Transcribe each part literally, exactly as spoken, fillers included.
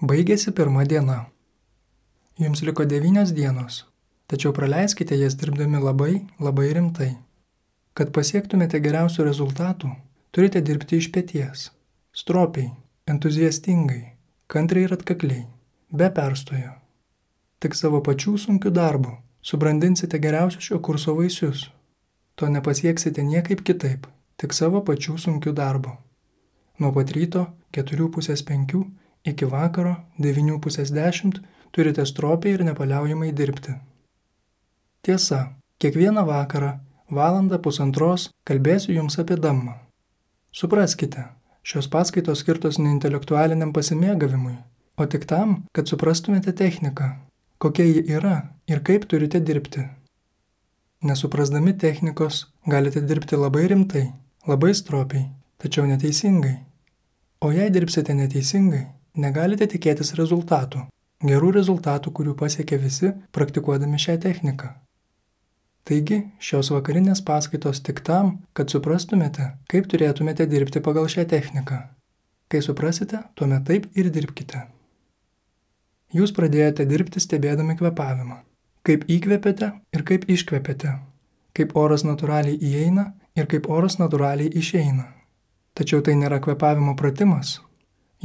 Baigėsi pirma diena. Jums liko devynios dienos, tačiau praleiskite jas dirbdami labai, labai rimtai. Kad pasiektumėte geriausių rezultatų, turite dirbti iš peties, stropiai, entuziastingai, kantriai ir atkakliai, be perstojo. Tik savo pačių sunkių darbų subrandinsite geriausius šio kurso vaisius. To nepasieksite niekaip kitaip, tik savo pačių sunkių darbų. Nuo pat ryto keturių pusės penkių iki vakaro devynių pusės dešimt turite stropiai ir nepaliaujamai dirbti. Tiesa, kiekvieną vakarą, valandą pusantros kalbėsiu jums apie dammą. Supraskite, šios paskaitos skirtos ne intelektualiniam pasimėgavimui, o tik tam, kad suprastumėte techniką, kokia ji yra ir kaip turite dirbti. Nesuprasdami technikos, galite dirbti labai rimtai, labai stropiai, tačiau neteisingai. O jei dirbsite neteisingai, negalite tikėtis rezultatų, gerų rezultatų, kurių pasiekia visi praktikuodami šią techniką. Taigi, šios vakarinės paskaitos tik tam, kad suprastumėte, kaip turėtumėte dirbti pagal šią techniką. Kai suprasite, tuomet taip ir dirbkite. Jūs pradėjote dirbti stebėdami kvėpavimą. Kaip įkvėpėte ir kaip iškvėpėte. Kaip oras natūraliai įeina ir kaip oras natūraliai išeina. Tačiau tai nėra kvėpavimo pratimas.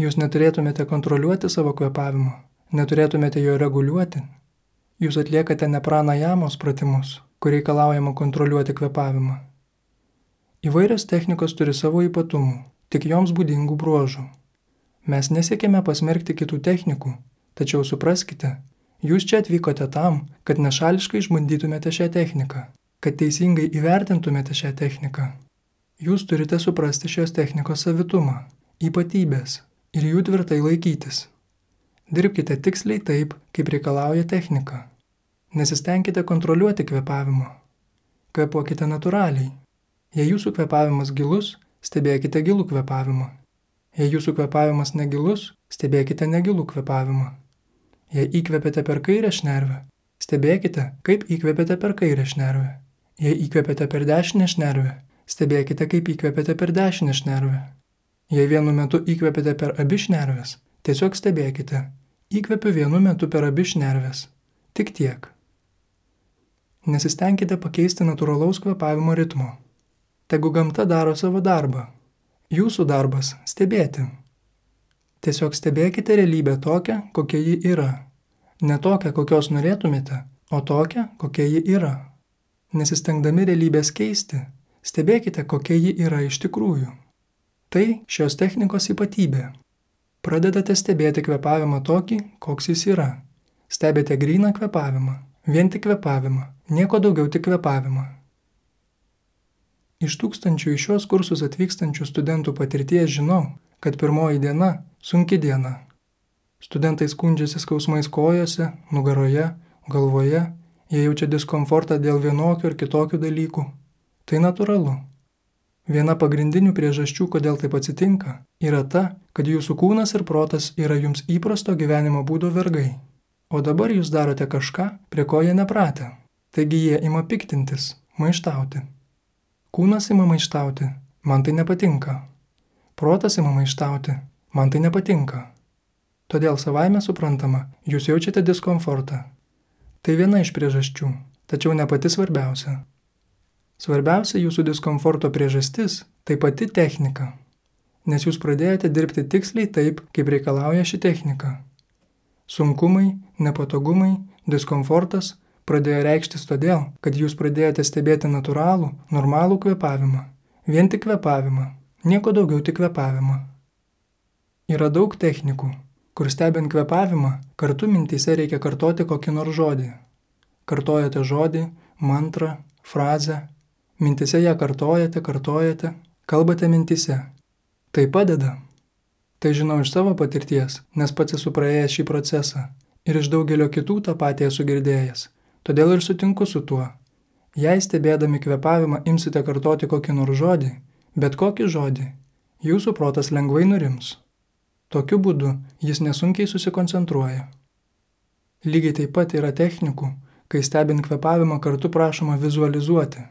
Jūs neturėtumėte kontroliuoti savo kvėpavimo, neturėtumėte jo reguliuoti. Jūs atliekate ne pranajamos pratimus, kur reikalaujama kontroliuoti kvėpavimą. Įvairios technikos turi savo ypatumų, tik joms būdingų bruožų. Mes nesiekėme pasmerkti kitų technikų, tačiau supraskite, jūs čia atvykote tam, kad nešališkai išbandytumėte šią techniką, kad teisingai įvertintumėte šią techniką. Jūs turite suprasti šios technikos savitumą, ypatybės ir jų tvirtai laikytis. Dirbkite tiksliai taip, kaip reikalauja technika. Nesistengkite kontroliuoti kvėpavimo. Kvėpuokite natūraliai. Jei jūsų kvėpavimas gilus, stebėkite gilų kvėpavimą. Jei jūsų kvėpavimas negilus, stebėkite negilų kvėpavimą. Jei įkvėpėte per kairę šnervę, stebėkite, kaip įkvėpėte per kairę šnervę. Jei įkvėpėte per dešinę šnervę, stebėkite, kaip įkvėpėte per dešinę šnervę. Jei vienu metu įkvėpėte per abi šnerves, tiesiog stebėkite. Įkvėpiu vienu metu per abi šnerves. Tik tiek. Nesistengkite pakeisti natūralaus kvėpavimo ritmo. Tegu gamta daro savo darbą. Jūsų darbas – stebėti. Tiesiog stebėkite realybę tokią, kokia ji yra. Ne tokią, kokios norėtumėte, o tokią, kokia ji yra. Nesistengdami realybės keisti, stebėkite, kokia ji yra iš tikrųjų. Tai šios technikos ypatybė. Pradedate stebėti kvėpavimą tokį, koks jis yra. Stebite gryną kvėpavimą, vien tik kvėpavimą, nieko daugiau tik kvėpavimą. Iš tūkstančių į šios kursus atvykstančių studentų patirties žinau, kad pirmoji diena – sunki diena. Studentai skundžiasi skausmais kojose, nugaroje, galvoje, jie jaučia diskomfortą dėl vienokių ir kitokių dalykų. Tai natūralu. Viena pagrindinių priežasčių, kodėl taip atsitinka, yra ta, kad jūsų kūnas ir protas yra jums įprasto gyvenimo būdo vergai. O dabar jūs darote kažką, prie ko jie nepratę. Taigi jie ima piktintis, maištauti. Kūnas ima maištauti, man tai nepatinka. Protas ima maištauti, man tai nepatinka. Todėl savaime suprantama, jūs jaučiate diskomfortą. Tai viena iš priežasčių, tačiau ne pati svarbiausia. Svarbiausia jūsų diskomforto priežastis – tai pati technika, nes jūs pradėjote dirbti tiksliai taip, kaip reikalauja ši technika. Sunkumai, nepatogumai, diskomfortas pradėjo reikštis todėl, kad jūs pradėjote stebėti natūralų, normalų kvėpavimą, vien tik kvėpavimą, nieko daugiau tik kvėpavimą. Yra daug technikų, kur stebint kvėpavimą, kartu mintyse reikia kartoti kokį nors žodį. Kartojate žodį, mantrą, frazę. Mintise ją kartojate, kartojate, kalbate mintise. Tai padeda. Tai žinau iš savo patirties, nes pats esu praėjęs šį procesą ir iš daugelio kitų tą patį esu girdėjęs. Todėl ir sutinku su tuo. Jei stebėdami kvėpavimą imsite kartoti kokį nors žodį, bet kokį žodį, jūsų protas lengvai nurims. Tokiu būdu jis nesunkiai susikoncentruoja. Lygiai taip pat yra technikų, kai stebint kvėpavimą kartu prašoma vizualizuoti.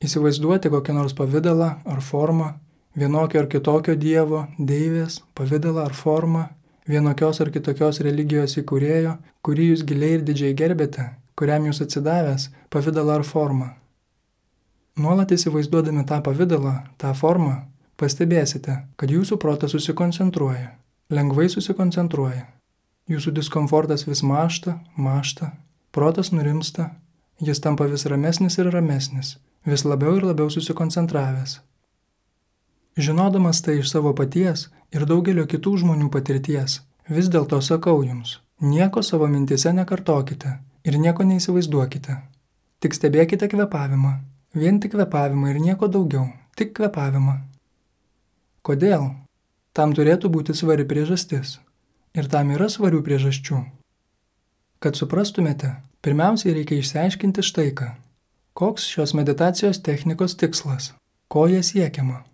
Įsivaizduoti kokią nors pavidalą ar formą, vienokio ar kitokio dievo, deivės, pavidalą ar formą, vienokios ar kitokios religijos įkūrėjo, kurį jūs giliai ir didžiai gerbėte, kuriam jūs atsidavęs, pavidalą ar formą. Nuolat įsivaizduodami tą pavidalą, tą formą, pastebėsite, kad jūsų protas susikoncentruoja, lengvai susikoncentruoja. Jūsų diskomfortas vis mąžta, mąžta, protas nurimsta, jis tampa vis ramesnis ir ramesnis, vis labiau ir labiau susikoncentravęs. Žinodamas tai iš savo paties ir daugelio kitų žmonių patirties, vis dėlto sakau jums, nieko savo mintise nekartokite ir nieko neįsivaizduokite. Tik stebėkite kvėpavimą, vien tik kvėpavimą ir nieko daugiau, tik kvėpavimą. Kodėl? Tam turėtų būti svari priežastis. Ir tam yra svarių priežasčių. Kad suprastumėte, pirmiausiai reikia išsiaiškinti štai ką. Koks šios meditacijos technikos tikslas? Ko jie siekiama?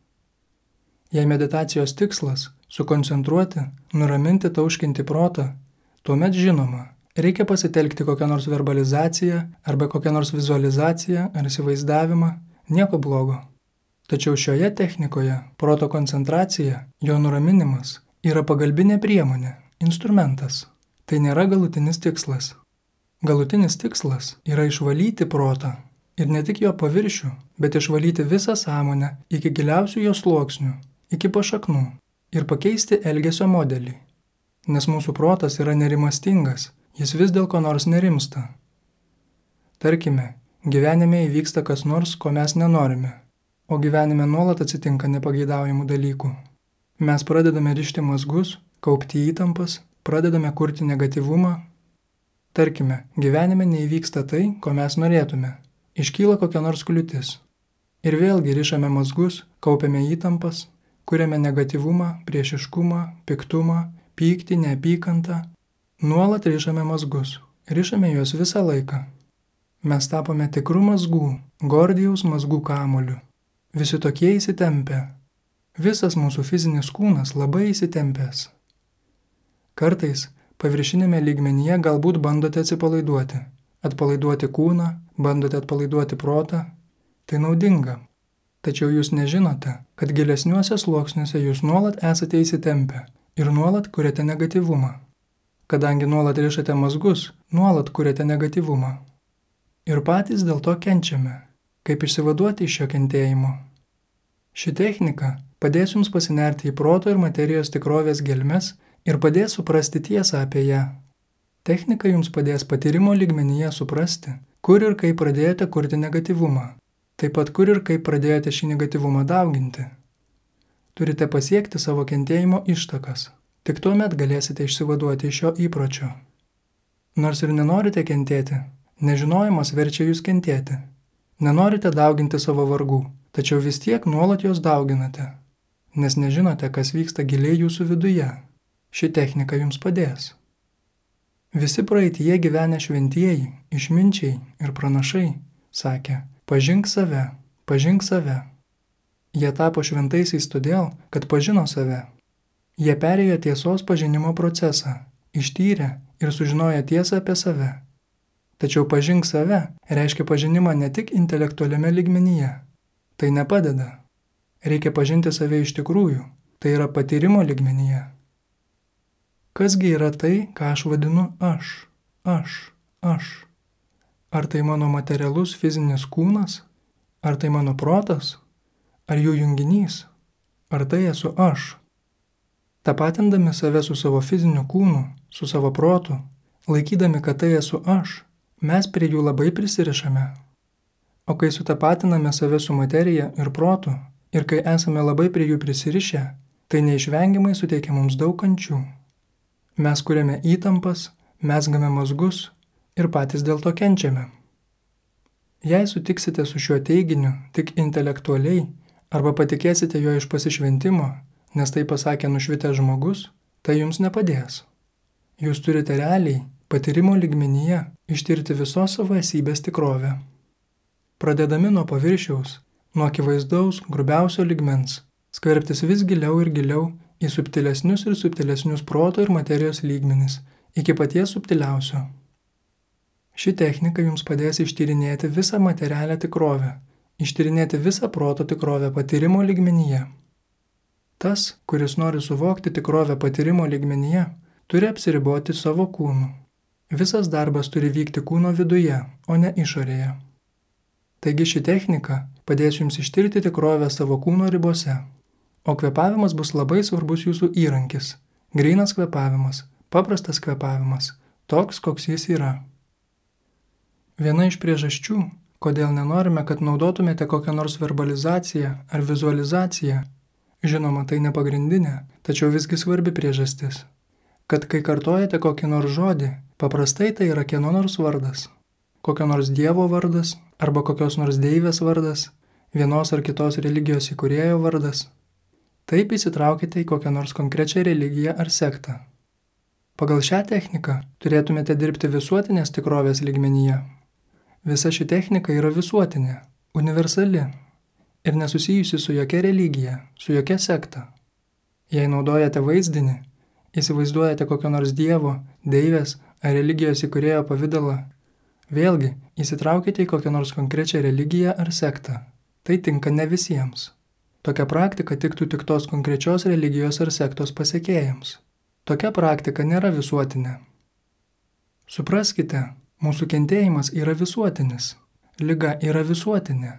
Jei meditacijos tikslas – sukoncentruoti, nuraminti, tauškinti protą, tuomet žinoma, reikia pasitelkti kokią nors verbalizaciją arba kokią nors vizualizaciją ar įsivaizdavimą, nieko blogo. Tačiau šioje technikoje proto koncentracija, jo nuraminimas, yra pagalbinė priemonė, instrumentas. Tai nėra galutinis tikslas. Galutinis tikslas yra išvalyti protą ir ne tik jo paviršių, bet išvalyti visą sąmonę iki giliausių jo sluoksnių, iki pašaknų ir pakeisti elgesio modelį. Nes mūsų protas yra nerimastingas, jis vis dėl ko nors nerimsta. Tarkime, gyvenime įvyksta kas nors, ko mes nenorime, o gyvenime nuolat atsitinka nepageidaujamų dalykų. Mes pradedame rišti mazgus, kaupti įtampas, pradedame kurti negatyvumą. Tarkime, gyvenime neįvyksta tai, ko mes norėtume. Iškyla kokia nors kliūtis. Ir vėlgi rišame mazgus, kaupiame įtampas, kuriame negatyvumą, priešiškumą, piktumą, pyktį, neapykantą. Nuolat rišame mazgus. Rišame juos visą laiką. Mes tapome tikrų mazgų, Gordijaus mazgų kamuoliu. Visi tokie įsitempę. Visas mūsų fizinis kūnas labai įsitempęs. Kartais paviršinėme lygmenyje galbūt bandote atsipalaiduoti. Atpalaiduoti kūną, bandote atpalaiduoti protą. Tai naudinga. Tačiau jūs nežinote, kad gilesniuose sluoksniuose jūs nuolat esate įsitempę ir nuolat kuriate negatyvumą. Kadangi nuolat rišate mazgus, nuolat kuriate negatyvumą. Ir patys dėl to kenčiame. Kaip išsivaduoti iš šio kentėjimo? Ši technika padės jums pasinerti į proto ir materijos tikrovės gelmes ir padės suprasti tiesą apie ją. Technika jums padės patyrimo lygmenyje suprasti, kur ir kaip pradėjote kurti negatyvumą. Taip pat kur ir kaip pradėjote šį negatyvumą dauginti. Turite pasiekti savo kentėjimo ištakas. Tik tuomet galėsite išsivaduoti iš šio įpročio. Nors ir nenorite kentėti, nežinojimas verčia jūs kentėti. Nenorite dauginti savo vargų, tačiau vis tiek nuolat juos dauginate, nes nežinote, kas vyksta giliai jūsų viduje. Ši technika jums padės. Visi praeityje gyvenę šventieji, išminčiai ir pranašai sakė: pažink save, pažink save. Jie tapo šventaisiais todėl, kad pažino save. Jie perėjo tiesos pažinimo procesą, ištyrė ir sužinojo tiesą apie save. Tačiau pažink save reiškia pažinimą ne tik intelektualiame lygmenyje. Tai nepadeda. Reikia pažinti save iš tikrųjų, tai yra patyrimo lygmenyje. Kasgi yra tai, ką aš vadinu aš, aš, aš? Ar tai mano materialus fizinis kūnas? Ar tai mano protas? Ar jų junginys? Ar tai esu aš? Tapatindami save su savo fiziniu kūnu, su savo protu, laikydami, kad tai esu aš, mes prie jų labai prisirišame. O kai sutapatiname save su materija ir protu, ir kai esame labai prie jų prisirišę, tai neišvengiamai suteikia mums daug kančių. Mes kuriame įtampas, mezgame mazgus ir patys dėl to kenčiame. Jei sutiksite su šiuo teiginiu tik intelektualiai arba patikėsite jo iš pasišventimo, nes tai pasakė nušvitęs žmogus, tai jums nepadės. Jūs turite realiai, patyrimo lygmenyje, ištirti visos savo esybės tikrovę. Pradedami nuo paviršiaus, nuo akivaizdaus, grubiausio lygmens, skverbtis vis giliau ir giliau į subtilesnius ir subtilesnius proto ir materijos lygmenis, iki paties subtiliausio. Ši technika jums padės ištyrinėti visą materialią tikrovę, ištyrinėti visą proto tikrovę patyrimo lygmenyje. Tas, kuris nori suvokti tikrovę patyrimo lygmenyje, turi apsiriboti savo kūnu. Visas darbas turi vykti kūno viduje, o ne išorėje. Taigi ši technika padės jums ištirti tikrovę savo kūno ribose, o kvėpavimas bus labai svarbus jūsų įrankis. Grynas kvėpavimas, paprastas kvėpavimas, toks, koks jis yra. Viena iš priežasčių, kodėl nenorime, kad naudotumėte kokią nors verbalizaciją ar vizualizaciją, žinoma, tai ne pagrindinė, tačiau visgi svarbi priežastis, kad kai kartojate kokį nors žodį, paprastai tai yra kieno nors vardas, kokio nors dievo vardas arba kokios nors deivės vardas, vienos ar kitos religijos įkūrėjo vardas. Taip įsitraukite į kokią nors konkrečią religiją ar sektą. Pagal šią techniką turėtumėte dirbti visuotinės tikrovės lygmenyje. Visa ši technika yra visuotinė, universali ir nesusijusi su jokia religija, su jokia sekta. Jei naudojate vaizdinį, įsivaizduojate kokio nors dievo, deivės ar religijos įkūrėjo pavidalą, vėlgi įsitraukite į kokią nors konkrečią religiją ar sektą. Tai tinka ne visiems. Tokia praktika tiktų tik tos konkrečios religijos ar sektos pasekėjams. Tokia praktika nėra visuotinė. Supraskite, mūsų kentėjimas yra visuotinis. Liga yra visuotinė.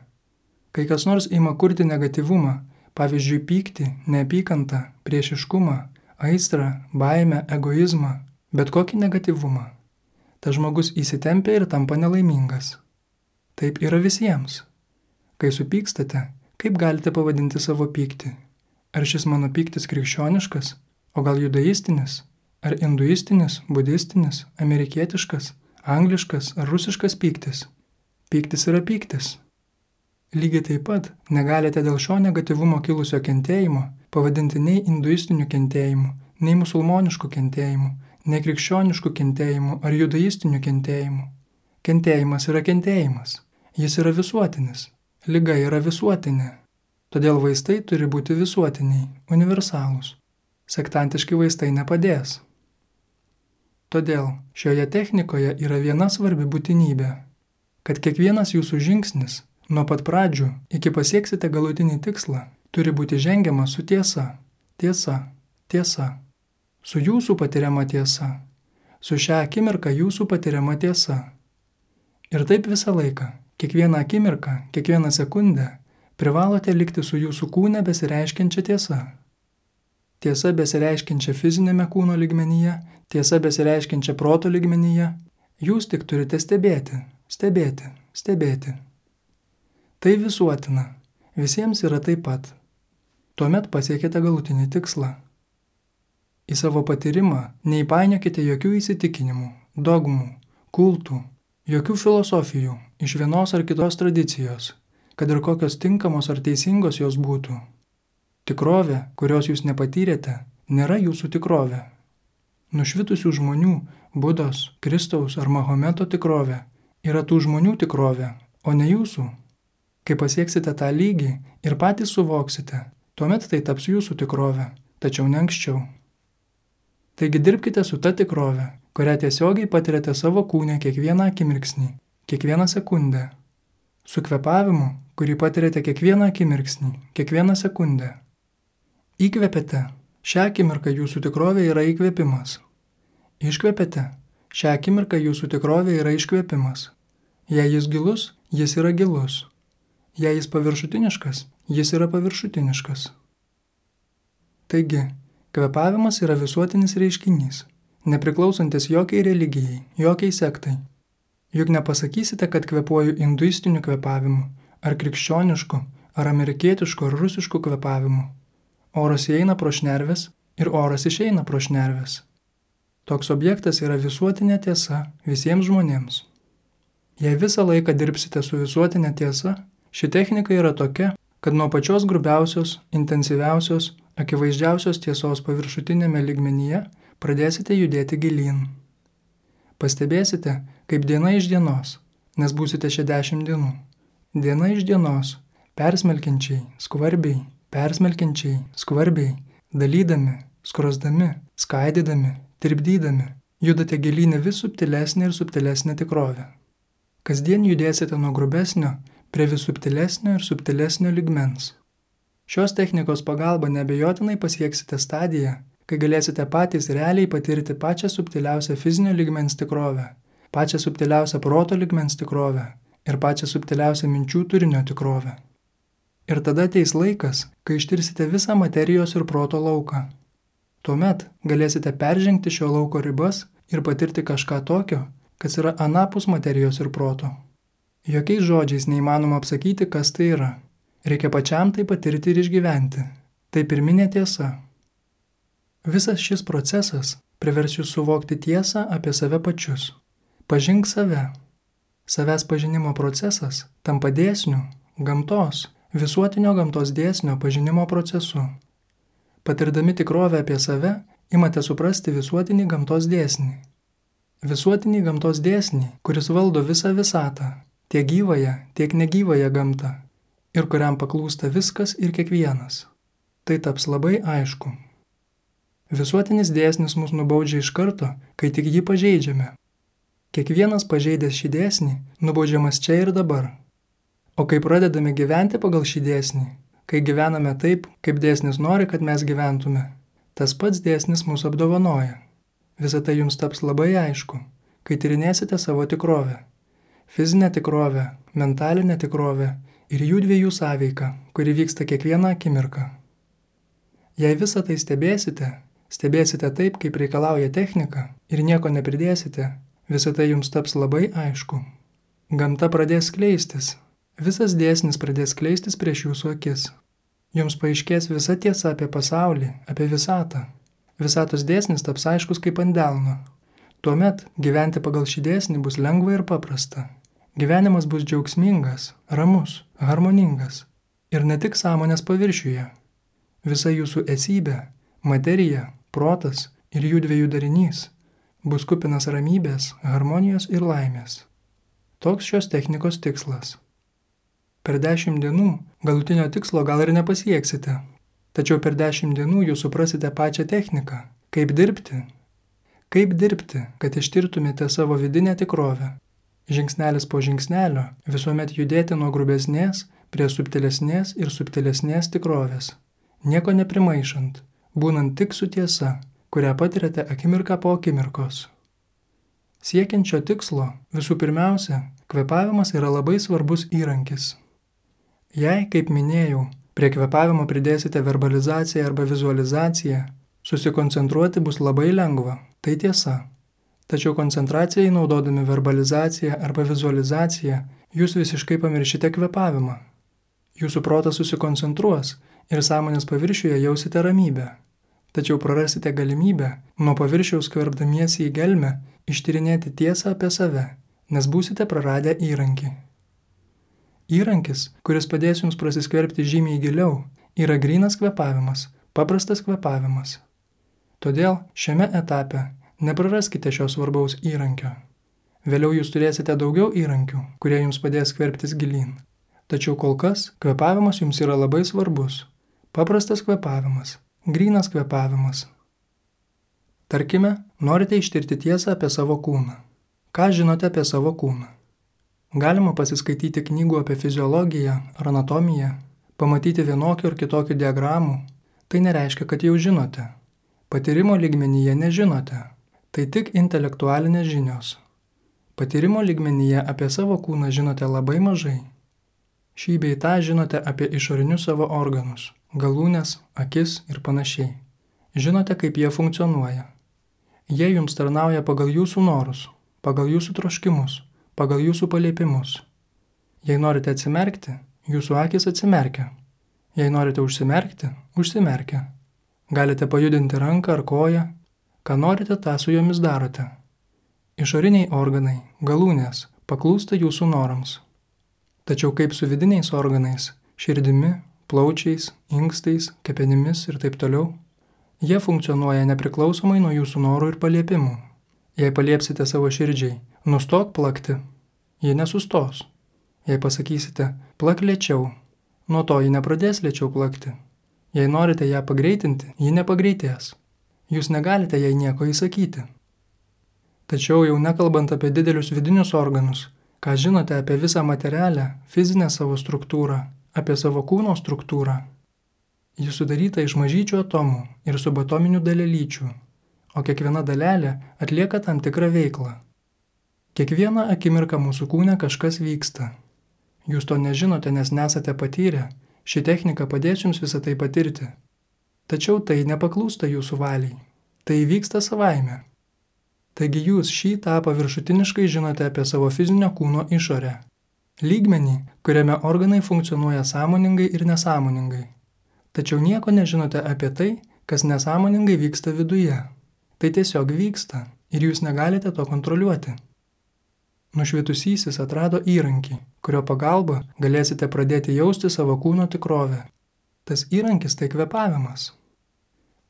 Kai kas nors ima kurti negatyvumą, pavyzdžiui pyktį, neapykantą, priešiškumą, aistrą, baimę, egoizmą, bet kokį negatyvumą, tas žmogus įsitempia ir tampa nelaimingas. Taip yra visiems. Kai supykstate, kaip galite pavadinti savo pyktį? Ar šis mano pyktis krikščioniškas, o gal judaistinis, ar induistinis, budistinis, amerikietiškas, angliškas ar rusiškas pyktis? Pyktis yra pyktis. Lygiai taip pat negalite dėl šio negatyvumo kilusio kentėjimo pavadinti nei induistiniu kentėjimu, nei musulmonišku kentėjimu, nei krikščionišku kentėjimu ar judaistiniu kentėjimu. Kentėjimas yra kentėjimas. Jis yra visuotinis. Liga yra visuotinė. Todėl vaistai turi būti visuotiniai, universalūs. Sektantiški vaistai nepadės. Todėl šioje technikoje yra viena svarbi būtinybė, kad kiekvienas jūsų žingsnis, nuo pat pradžių iki pasieksite galutinį tikslą, turi būti žengiamas su tiesa, tiesa, tiesa, su jūsų patiriama tiesa, su šią akimirką jūsų patiriama tiesa. Ir taip visą laiką, kiekvieną akimirką, kiekvieną sekundę privalote likti su jūsų kūne besireiškiančia tiesa. Tiesa besireiškiančia fizinėme kūno lygmenyje, tiesa besireiškiančia proto lygmenyje, jūs tik turite stebėti, stebėti, stebėti. Tai visuotina, visiems yra taip pat. Tuomet pasiekite galutinį tikslą. Į savo patyrimą neįpainiokite jokių įsitikinimų, dogmų, kultų, jokių filosofijų iš vienos ar kitos tradicijos, kad ir kokios tinkamos ar teisingos jos būtų. Tikrovė, kurios jūs nepatyrėte, nėra jūsų tikrovė. Nušvitusių žmonių, Budos, Kristaus ar Mahometo tikrovė yra tų žmonių tikrovė, o ne jūsų. Kai pasieksite tą lygį ir patys suvoksite, tuomet tai taps jūsų tikrovė, tačiau ne anksčiau. Taigi dirbkite su ta tikrove, kurią tiesiogiai patiriate savo kūne kiekvieną akimirksnį, kiekvieną sekundę. Su kvėpavimu, kurį patiriate kiekvieną akimirksnį, kiekvieną sekundę. Įkvėpėte, šią akimirką jūsų tikrovė yra įkvėpimas. Iškvėpėte, šią akimirką jūsų tikrovė yra iškvėpimas. Jei jis gilus, jis yra gilus. Jei jis paviršutiniškas, jis yra paviršutiniškas. Taigi, kvėpavimas yra visuotinis reiškinys, nepriklausantis jokiai religijai, jokiai sektai. Juk nepasakysite, kad kvėpuoju induistiniu kvėpavimu, ar krikščionišku, ar amerikietišku, ar rusišku kvėpavimu. Oras įeina pro šnerves ir oras išeina pro šnerves. Toks objektas yra visuotinė tiesa visiems žmonėms. Jei visą laiką dirbsite su visuotinė tiesa, ši technika yra tokia, kad nuo pačios grubiausios, intensyviausios, akivaizdžiausios tiesos paviršutinėme lygmenyje pradėsite judėti gilyn. Pastebėsite, kaip diena iš dienos, nes būsite šią dešimt dienų. Diena iš dienos, persmelkiančiai, skvarbiai, persmelkiančiai, skvarbiai, dalydami, skrosdami, skaidydami, tirpdydami, judate gilynę vis subtilesnė ir subtilesnė tikrovė. Kasdien judėsite nuo grubesnio prie vis subtilesnio ir subtilesnio lygmens. Šios technikos pagalba neabejotinai pasieksite stadiją, kai galėsite patys realiai patirti pačią subtiliausią fizinio lygmens tikrovę, pačią subtiliausią proto lygmens tikrovę ir pačią subtiliausią minčių turinio tikrovę. Ir tada ateis laikas, kai ištirsite visą materijos ir proto lauką. Tuomet galėsite peržengti šio lauko ribas ir patirti kažką tokio, kas yra anapus materijos ir proto. Jokiais žodžiais neįmanoma apsakyti, kas tai yra. Reikia pačiam tai patirti ir išgyventi. Tai pirminė tiesa. Visas šis procesas privers jūs suvokti tiesą apie save pačius. Pažink save. Savęs pažinimo procesas tampa dėsniu, gamtos, visuotinio gamtos dėsnio pažinimo procesu. Patirdami tikrovę apie save, imate suprasti visuotinį gamtos dėsnį. Visuotinį gamtos dėsnį, kuris valdo visą visatą, tiek gyvąją, tiek negyvąją gamtą, ir kuriam paklūsta viskas ir kiekvienas. Tai taps labai aišku. Visuotinis dėsnis mus nubaudžia iš karto, kai tik jį pažeidžiame. Kiekvienas pažeidęs šį dėsnį nubaudžiamas čia ir dabar. O kai pradedame gyventi pagal šį dėsnį, kai gyvename taip, kaip dėsnis nori, kad mes gyventume, tas pats dėsnis mūsų apdovanoja. Visą tai jums taps labai aišku, kai tyrinėsite savo tikrovę. Fizinę tikrovę, mentalinę tikrovę ir jų dviejų sąveiką, kuri vyksta kiekvieną akimirką. Jei visą tai stebėsite, stebėsite taip, kaip reikalauja technika ir nieko nepridėsite, visą tai jums taps labai aišku. Gamta pradės skleistis. Visas dėsnis pradės skleistis prieš jūsų akis. Jums paaiškės visa tiesa apie pasaulį, apie visatą. Visatos dėsnis taps aiškus kaip ant delno. Tuomet gyventi pagal šį dėsnį bus lengva ir paprasta. Gyvenimas bus džiaugsmingas, ramus, harmoningas. Ir ne tik sąmonės paviršiuje. Visa jūsų esybė, materija, protas ir jų dviejų darinys bus kupinas ramybės, harmonijos ir laimės. Toks šios technikos tikslas. Per dešimt dienų galutinio tikslo gal ir nepasieksite, tačiau per dešimt dienų jūs suprasite pačią techniką, kaip dirbti. Kaip dirbti, kad ištirtumėte savo vidinę tikrovę. Žingsnelis po žingsnelio visuomet judėti nuo grubesnės prie subtilesnės ir subtilesnės tikrovės. Nieko neprimaišant, būnant tik su tiesa, kurią patiriate akimirką po akimirkos. Siekiant šio tikslo, visų pirmiausia, kvėpavimas yra labai svarbus įrankis. Jei, kaip minėjau, prie kvėpavimo pridėsite verbalizaciją arba vizualizaciją, susikoncentruoti bus labai lengva, tai tiesa. Tačiau koncentracijai naudodami verbalizaciją arba vizualizaciją, jūs visiškai pamiršite kvėpavimą. Jūsų protas susikoncentruos ir sąmonės paviršiuje jausite ramybę. Tačiau prarasite galimybę, nuo paviršiaus skverbdamiesi į gelmę, ištyrinėti tiesą apie save, nes būsite praradę įrankį. Įrankis, kuris padės jums prasiskverbti žymiai giliau, yra grynas kvėpavimas, paprastas kvėpavimas. Todėl šiame etape nepraraskite šio svarbaus įrankio. Vėliau jūs turėsite daugiau įrankių, kurie jums padės skverbtis gilyn. Tačiau kol kas kvėpavimas jums yra labai svarbus. Paprastas kvėpavimas, grynas kvėpavimas. Tarkime, norite ištirti tiesą apie savo kūną. Ką žinote apie savo kūną? Galima pasiskaityti knygų apie fiziologiją ar anatomiją, pamatyti vienokių ir kitokių diagramų. Tai nereiškia, kad jau žinote. Patyrimo lygmenyje nežinote. Tai tik intelektualinės žinios. Patyrimo lygmenyje apie savo kūną žinote labai mažai. Šį bei tą žinote apie išorinius savo organus, galūnes, akis ir panašiai. Žinote, kaip jie funkcionuoja. Jie jums tarnauja pagal jūsų norus, pagal jūsų troškimus, pagal jūsų paliepimus. Jei norite atsimerkti, jūsų akis atsimerkia. Jei norite užsimerkti, užsimerkia. Galite pajudinti ranką ar koją. Ką norite, tą su jomis darote. Išoriniai organai, galūnės, paklūsta jūsų norams. Tačiau kaip su vidiniais organais, širdimi, plaučiais, inkstais, kepenimis ir taip toliau, jie funkcionuoja nepriklausomai nuo jūsų norų ir paliepimų. Jei paliepsite savo širdžiai, nustok plakti, ji nesustos. Jei pasakysite, plak lėčiau, nuo to ji nepradės lėčiau plakti. Jei norite ją pagreitinti, ji nepagreitės. Jūs negalite jai nieko įsakyti. Tačiau jau nekalbant apie didelius vidinius organus, ką žinote apie visą materialę, fizinę savo struktūrą, apie savo kūno struktūrą. Ji sudaryta iš mažyčių atomų ir subatominių dalelyčių, o kiekviena dalelė atlieka tam tikrą veiklą. Kiekvieną akimirką mūsų kūne kažkas vyksta. Jūs to nežinote, nes nesate patyrę, ši technika padės jums visą tai patirti. Tačiau tai nepaklūsta jūsų valiai, tai vyksta savaime. Taigi jūs šį tą paviršutiniškai žinote apie savo fizinio kūno išorę. Lygmenį, kuriame organai funkcionuoja sąmoningai ir nesąmoningai. Tačiau nieko nežinote apie tai, kas nesąmoningai vyksta viduje. Tai tiesiog vyksta ir jūs negalite to kontroliuoti. Nušvitusysis atrado įrankį, kurio pagalba galėsite pradėti jausti savo kūno tikrovę. Tas įrankis tai kvėpavimas.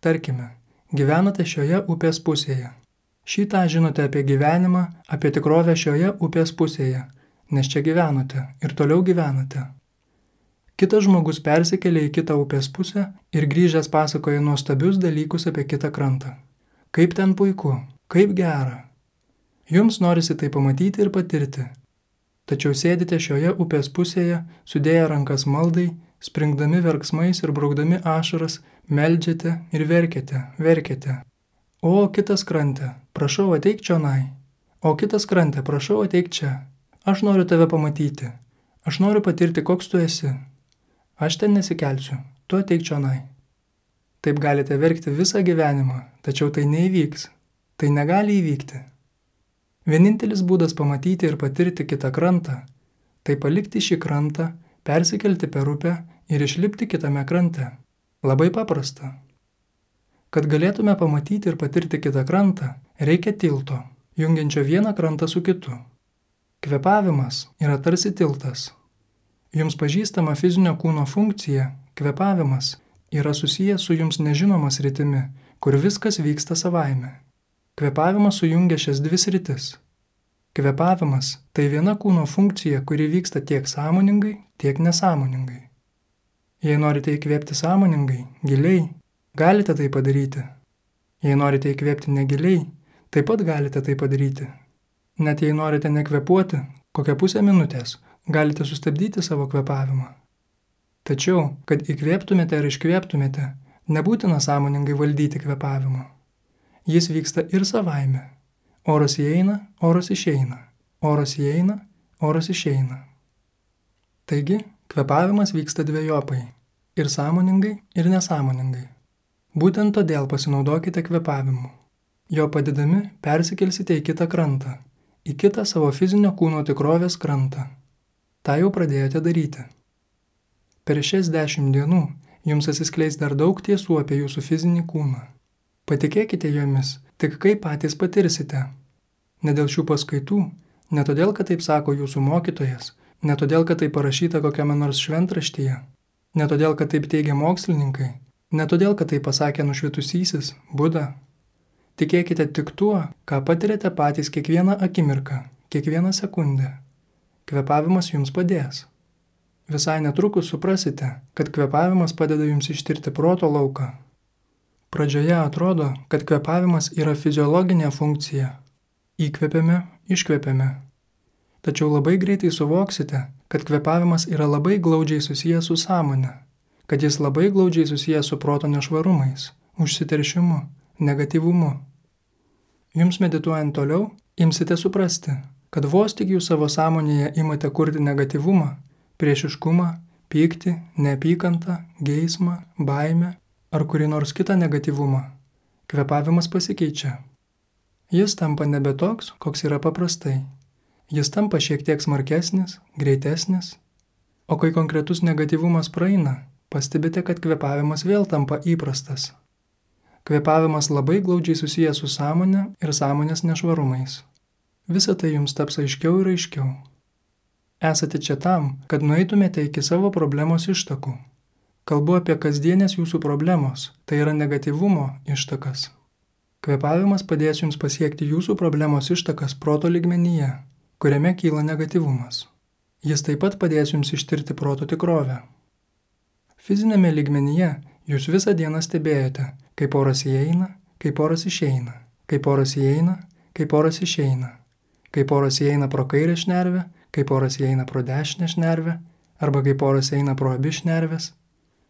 Tarkime, gyvenate šioje upės pusėje. Šį tą žinote apie gyvenimą, apie tikrovę šioje upės pusėje, nes čia gyvenote ir toliau gyvenate. Kitas žmogus persikėlė į kitą upės pusę ir grįžęs pasakoja nuostabius dalykus apie kitą krantą. Kaip ten puiku, kaip gera. Jums norisi tai pamatyti ir patirti. Tačiau sėdite šioje upės pusėje, sudėję rankas maldai, springdami verksmais ir braukdami ašaras, meldžiate ir verkiate, verkiate. O kitas krante, prašau ateik čionai. O kitas krante, prašau ateik čia. Aš noriu tave pamatyti. Aš noriu patirti, koks tu esi. Aš ten nesikelsiu, tu ateik čionai. Taip galite verkti visą gyvenimą, tačiau tai neįvyks. Tai negali įvykti. Vienintelis būdas pamatyti ir patirti kitą krantą – tai palikti šį krantą, persikelti per upę ir išlipti kitame krante. Labai paprasta. Kad galėtume pamatyti ir patirti kitą krantą, reikia tilto, jungiančio vieną krantą su kitu. Kvėpavimas yra tarsi tiltas. Jums pažįstama fizinio kūno funkcija, kvėpavimas, yra susijęs su jums nežinoma sritimi, kur viskas vyksta savaime. Kvėpavimas sujungia šias dvi sritis. Kvėpavimas – tai viena kūno funkcija, kuri vyksta tiek sąmoningai, tiek nesąmoningai. Jei norite įkvėpti sąmoningai, giliai, galite tai padaryti. Jei norite įkvėpti negiliai, taip pat galite tai padaryti. Net jei norite nekvėpuoti, kokią pusę minutės, galite sustabdyti savo kvėpavimą. Tačiau, kad įkvėptumėte ar iškvėptumėte, nebūtina sąmoningai valdyti kvėpavimo. Jis vyksta ir savaime. Oras įeina, oras išeina. Oras įeina, oras išeina. Taigi, kvėpavimas vyksta dvejopai. Ir sąmoningai, ir nesąmoningai. Būtent todėl pasinaudokite kvėpavimu. Jo padedami persikelsite į kitą krantą, į kitą savo fizinio kūno tikrovės krantą. Ta jau pradėjote daryti. Per šias dešimt dienų jums atsiskleis dar daug tiesų apie jūsų fizinį kūną. Patikėkite jomis, tik kaip patys patirsite. Ne dėl šių paskaitų, ne todėl, kad taip sako jūsų mokytojas, ne todėl, kad tai parašyta kokiame nors šventraštyje, ne todėl, kad taip teigia mokslininkai, ne todėl, kad tai pasakė nušvitusysis, Buda. Tikėkite tik tuo, ką patiriate patys kiekvieną akimirką, kiekvieną sekundę. Kvėpavimas jums padės. Visai netrukus suprasite, kad kvėpavimas padeda jums ištirti proto lauką. Pradžioje atrodo, kad kvėpavimas yra fiziologinė funkcija. Įkvėpiame, iškvėpiame. Tačiau labai greitai suvoksite, kad kvėpavimas yra labai glaudžiai susijęs su sąmonė, kad jis labai glaudžiai susijęs su proto nešvarumais, užsiteršimu, negatyvumu. Jums medituojant toliau, imsite suprasti, kad vos tik jūs savo sąmonėje imate kurti negatyvumą, priešiškumą, pyktį, neapykantą, geismą, baimę ar kurį nors kitą negatyvumą, kvėpavimas pasikeičia. Jis tampa nebe toks, koks yra paprastai. Jis tampa šiek tiek smarkesnis, greitesnis, o kai konkretus negatyvumas praeina, pastebite, kad kvėpavimas vėl tampa įprastas. Kvėpavimas labai glaudžiai susijęs su sąmonė ir sąmonės nešvarumais. Visa tai jums taps aiškiau ir aiškiau. Esate čia tam, kad nueitumėte iki savo problemos ištakų. Kalbu apie kasdienės jūsų problemos, tai yra negatyvumo ištakas. Kvėpavimas padės jums pasiekti jūsų problemos ištakas proto lygmenyje, kuriame kyla negatyvumas. Jis taip pat padės jums ištirti proto tikrovę. Fizinėme lygmenyje jūs visą dieną stebėjote, kaip oras įeina, kaip oras išeina, kaip oras įeina, kaip oras išeina. Kaip oras įeina pro kairę šnervę, kaip oras įeina pro dešinę šnervę, arba kaip oras eina pro abi šnerves,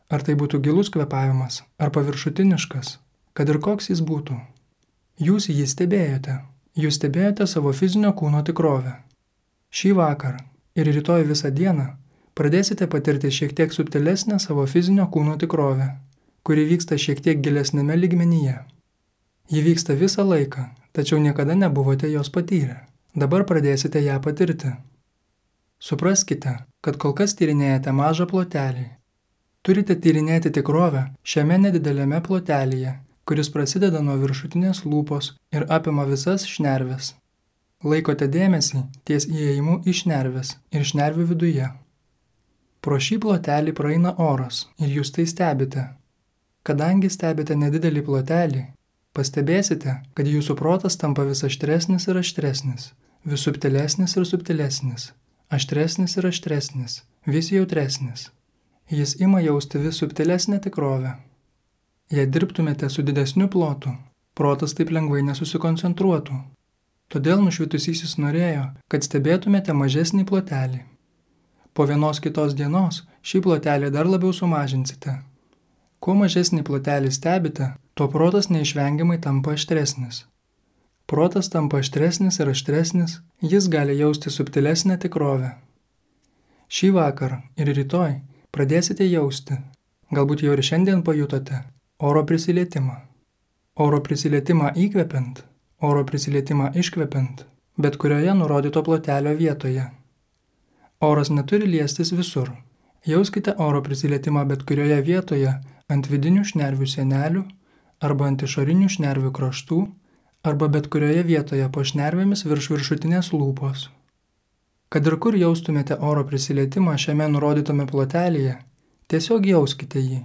Ar tai būtų gilus kvėpavimas, ar paviršutiniškas, kad ir koks jis būtų. Jūs jį stebėjote. Jūs stebėjote savo fizinio kūno tikrovę. Šį vakar ir rytoj visą dieną pradėsite patirti šiek tiek subtilesnę savo fizinio kūno tikrovę, kuri vyksta šiek tiek gilesnėme lygmenyje. Ji vyksta visą laiką, tačiau niekada nebuvote jos patyrę. Dabar pradėsite ją patirti. Supraskite, kad kol kas tyrinėjate mažą plotelį. Turite tyrinėti tikrovę šiame nedidelėme plotelyje, kuris prasideda nuo viršutinės lūpos ir apima visas šnerves. Laikote dėmesį ties įėjimu į šnerves ir šnervių viduje. Pro šį plotelį praeina oras ir jūs tai stebite. Kadangi stebite nedidelį plotelį, pastebėsite, kad jūsų protas tampa vis aštresnis ir aštresnis, vis subtilesnis ir subtilesnis, aštresnis ir aštresnis, vis jautresnis. Jis ima jausti vis subtilesnę tikrovę. Jei dirbtumėte su didesniu plotu, protas taip lengvai nesusikoncentruotų. Todėl nušvitusysis norėjo, kad stebėtumėte mažesnį plotelį. Po vienos kitos dienos šį plotelį dar labiau sumažinsite. Kuo mažesnį plotelį stebite, tuo protas neišvengiamai tampa aštresnis. Protas tampa aštresnis ir aštresnis, jis gali jausti subtilesnę tikrovę. Šį vakar ir rytoj pradėsite jausti, galbūt jau ir šiandien pajutote, oro prisilietimą. Oro prisilietimą įkvepiant, oro prisilietimą iškvepiant, bet kurioje nurodyto plotelio vietoje. Oras neturi liestis visur. Jauskite oro prisilietimą bet kurioje vietoje ant vidinių šnervių sienelių arba ant išorinių šnervių kraštų arba bet kurioje vietoje po šnervėmis virš viršutinės lūpos. Kad ir kur jaustumėte oro prisilietimą šiame nurodytame plotelyje, tiesiog jauskite jį.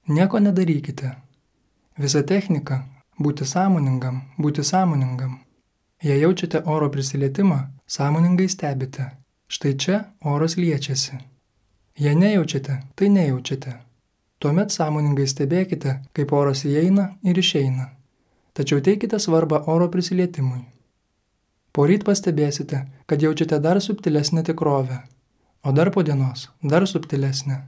Nieko nedarykite. Visa technika – būti sąmoningam, būti sąmoningam. Jei jaučiate oro prisilietimą, sąmoningai stebite. Štai čia oras liečiasi. Jei nejaučiate, tai nejaučiate. Tuomet sąmoningai stebėkite, kaip oras įeina ir išeina. Tačiau teikite svarbą oro prisilietimui. Poryt pastebėsite, kad jaučiate dar subtilesnę tikrovę, o dar po dienos dar subtilesnę.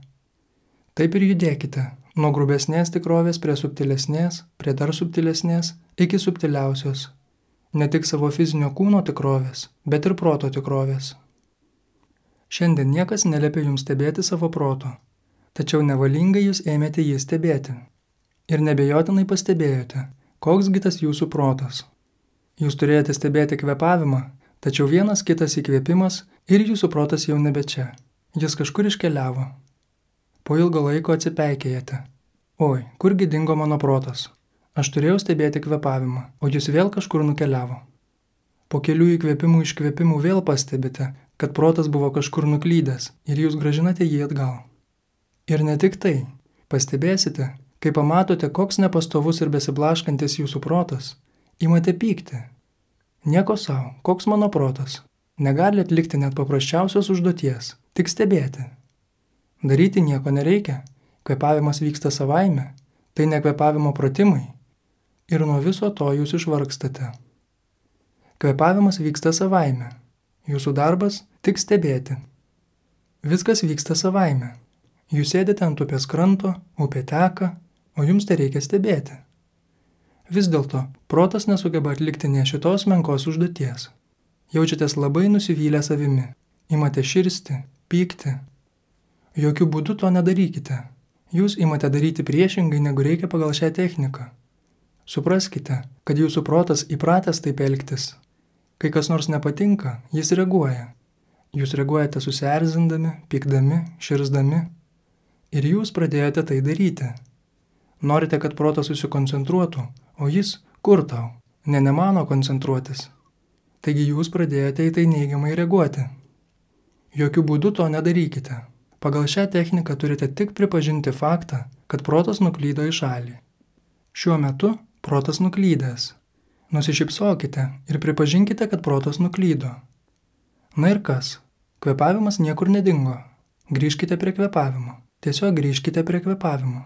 Taip ir judėkite, nuo grubesnės tikrovės prie subtilesnės, prie dar subtilesnės, iki subtiliausios. Ne tik savo fizinio kūno tikrovės, bet ir proto tikrovės. Šiandien niekas neliepia jums stebėti savo proto, tačiau nevalingai jūs ėmėte jį stebėti. Ir nebejotinai pastebėjote, koksgi tas jūsų protas. Jūs turėjote stebėti kvėpavimą, tačiau vienas kitas įkvėpimas ir jūsų protas jau nebe čia. Jis kažkur iškeliavo. Po ilgo laiko atsipeikėjate. Oi, kurgi dingo mano protas? Aš turėjau stebėti kvėpavimą, o jis vėl kažkur nukeliavo. Po kelių įkvėpimų iškvėpimų vėl pastebite, kad protas buvo kažkur nuklydęs ir jūs grąžinate jį atgal. Ir ne tik tai. Pastebėsite, kai pamatote, koks nepastovus ir besiblaškantis jūsų protas, imate pykti. Nieko savo, koks mano protas. Negali atlikti net paprasčiausios užduoties, tik stebėti. Daryti nieko nereikia, kvėpavimas vyksta savaime, tai ne kvėpavimo pratimai. Ir nuo viso to jūs išvargstate. Kvėpavimas vyksta savaime, jūsų darbas tik stebėti. Viskas vyksta savaime. Jūs sėdite ant upės kranto, upė teka, o jums tai reikia stebėti. Vis dėlto, protas nesugeba atlikti ne šitos menkos užduoties. Jaučiatės labai nusivylę savimi, imate širsti, pykti. Jokių būdų to nedarykite. Jūs imate daryti priešingai, negu reikia pagal šią techniką. Supraskite, kad jūsų protas įpratęs taip elgtis. Kai kas nors nepatinka, jis reaguoja. Jūs reaguojate susierzindami, pykdami, širzdami. Ir jūs pradėjote tai daryti. Norite, kad protas susikoncentruotų, o jis kur tau? Ne nemano koncentruotis. Taigi jūs pradėjote į tai neigiamai reaguoti. Jokių būdų to nedarykite. Pagal šią techniką turite tik pripažinti faktą, kad protas nuklydo į šalį. Šiuo metu protas nuklydęs. Nusišypsokite ir pripažinkite, kad protas nuklydo. Na ir kas? Kvėpavimas niekur nedingo. Grįžkite prie kvėpavimo. Tiesiog grįžkite prie kvėpavimo.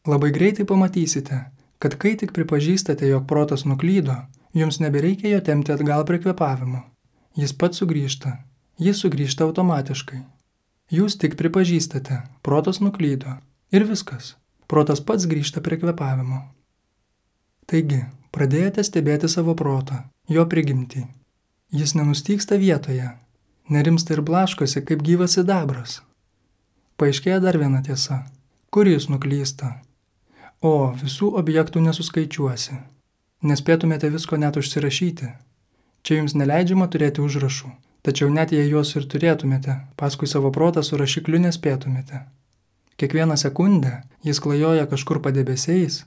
Labai greitai pamatysite, kad kai tik pripažįstate, jog protas nuklydo, jums nebereikia jo tempti atgal prie kvėpavimo. Jis pats sugrįžta. Jis sugrįžta automatiškai. Jūs tik pripažįstate, protas nuklydo. Ir viskas. Protas pats grįžta prie kvėpavimo. Taigi, pradėjote stebėti savo protą, jo prigimtį. Jis nenustygsta vietoje, nerimsta ir blaškosi kaip gyvas sidabras. Paaiškėja dar viena tiesa. Kur jis nuklysta? O, visų objektų nesuskaičiuosi. Nespėtumėte visko net užsirašyti. Čia jums neleidžiama turėti užrašų, tačiau net jei juos ir turėtumėte, paskui savo protą su rašikliu nespėtumėte. Kiekvieną sekundę jis klajoja kažkur padebesiais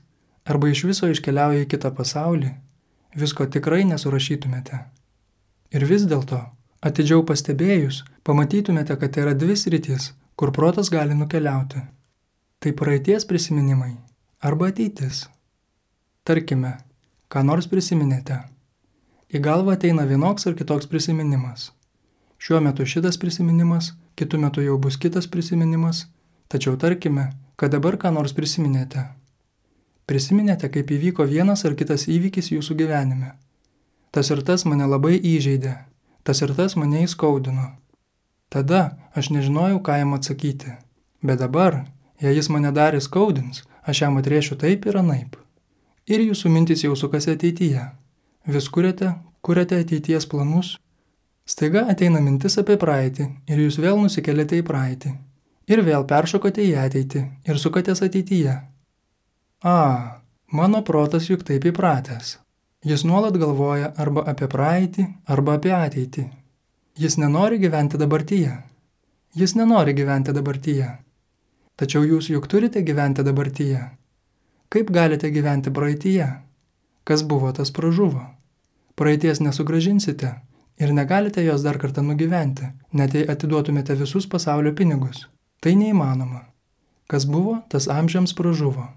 arba iš viso iškeliauja į kitą pasaulį, visko tikrai nesurašytumėte. Ir vis dėlto, atidžiau pastebėjus, pamatytumėte, kad tai yra dvi sritys, kur protas gali nukeliauti. Tai praeities prisiminimai arba ateitis. Tarkime, ką nors prisiminėte. Į galvą ateina vienoks ar kitoks prisiminimas. Šiuo metu šitas prisiminimas, kitu metu jau bus kitas prisiminimas, tačiau tarkime, kad dabar ką nors prisiminėte. Prisiminėte, kaip įvyko vienas ar kitas įvykis jūsų gyvenime. Tas ir tas mane labai įžeidė, tas ir tas mane įskaudino. Tada aš nežinojau, ką jam atsakyti, bet dabar, jei jis mane dar įskaudins, aš jam atrėšiu taip ir anaip. Ir jūsų mintis jau sukasi ateityje. Vis kuriate, kuriate ateities planus. Staiga ateina mintis apie praeitį ir jūs vėl nusikeliate į praeitį. Ir vėl peršokote į ateitį ir sukatės ateityje. A, mano protas juk taip įpratęs. Jis nuolat galvoja arba apie praeitį, arba apie ateitį. Jis nenori gyventi dabartyje. Jis nenori gyventi dabartyje. Tačiau jūs juk turite gyventi dabartyje. Kaip galite gyventi praeityje? Kas buvo, tas pražuvo. Praeities nesugrąžinsite ir negalite jos dar kartą nugyventi, net jei atiduotumėte visus pasaulio pinigus. Tai neįmanoma. Kas buvo, tas amžiams pražuvo.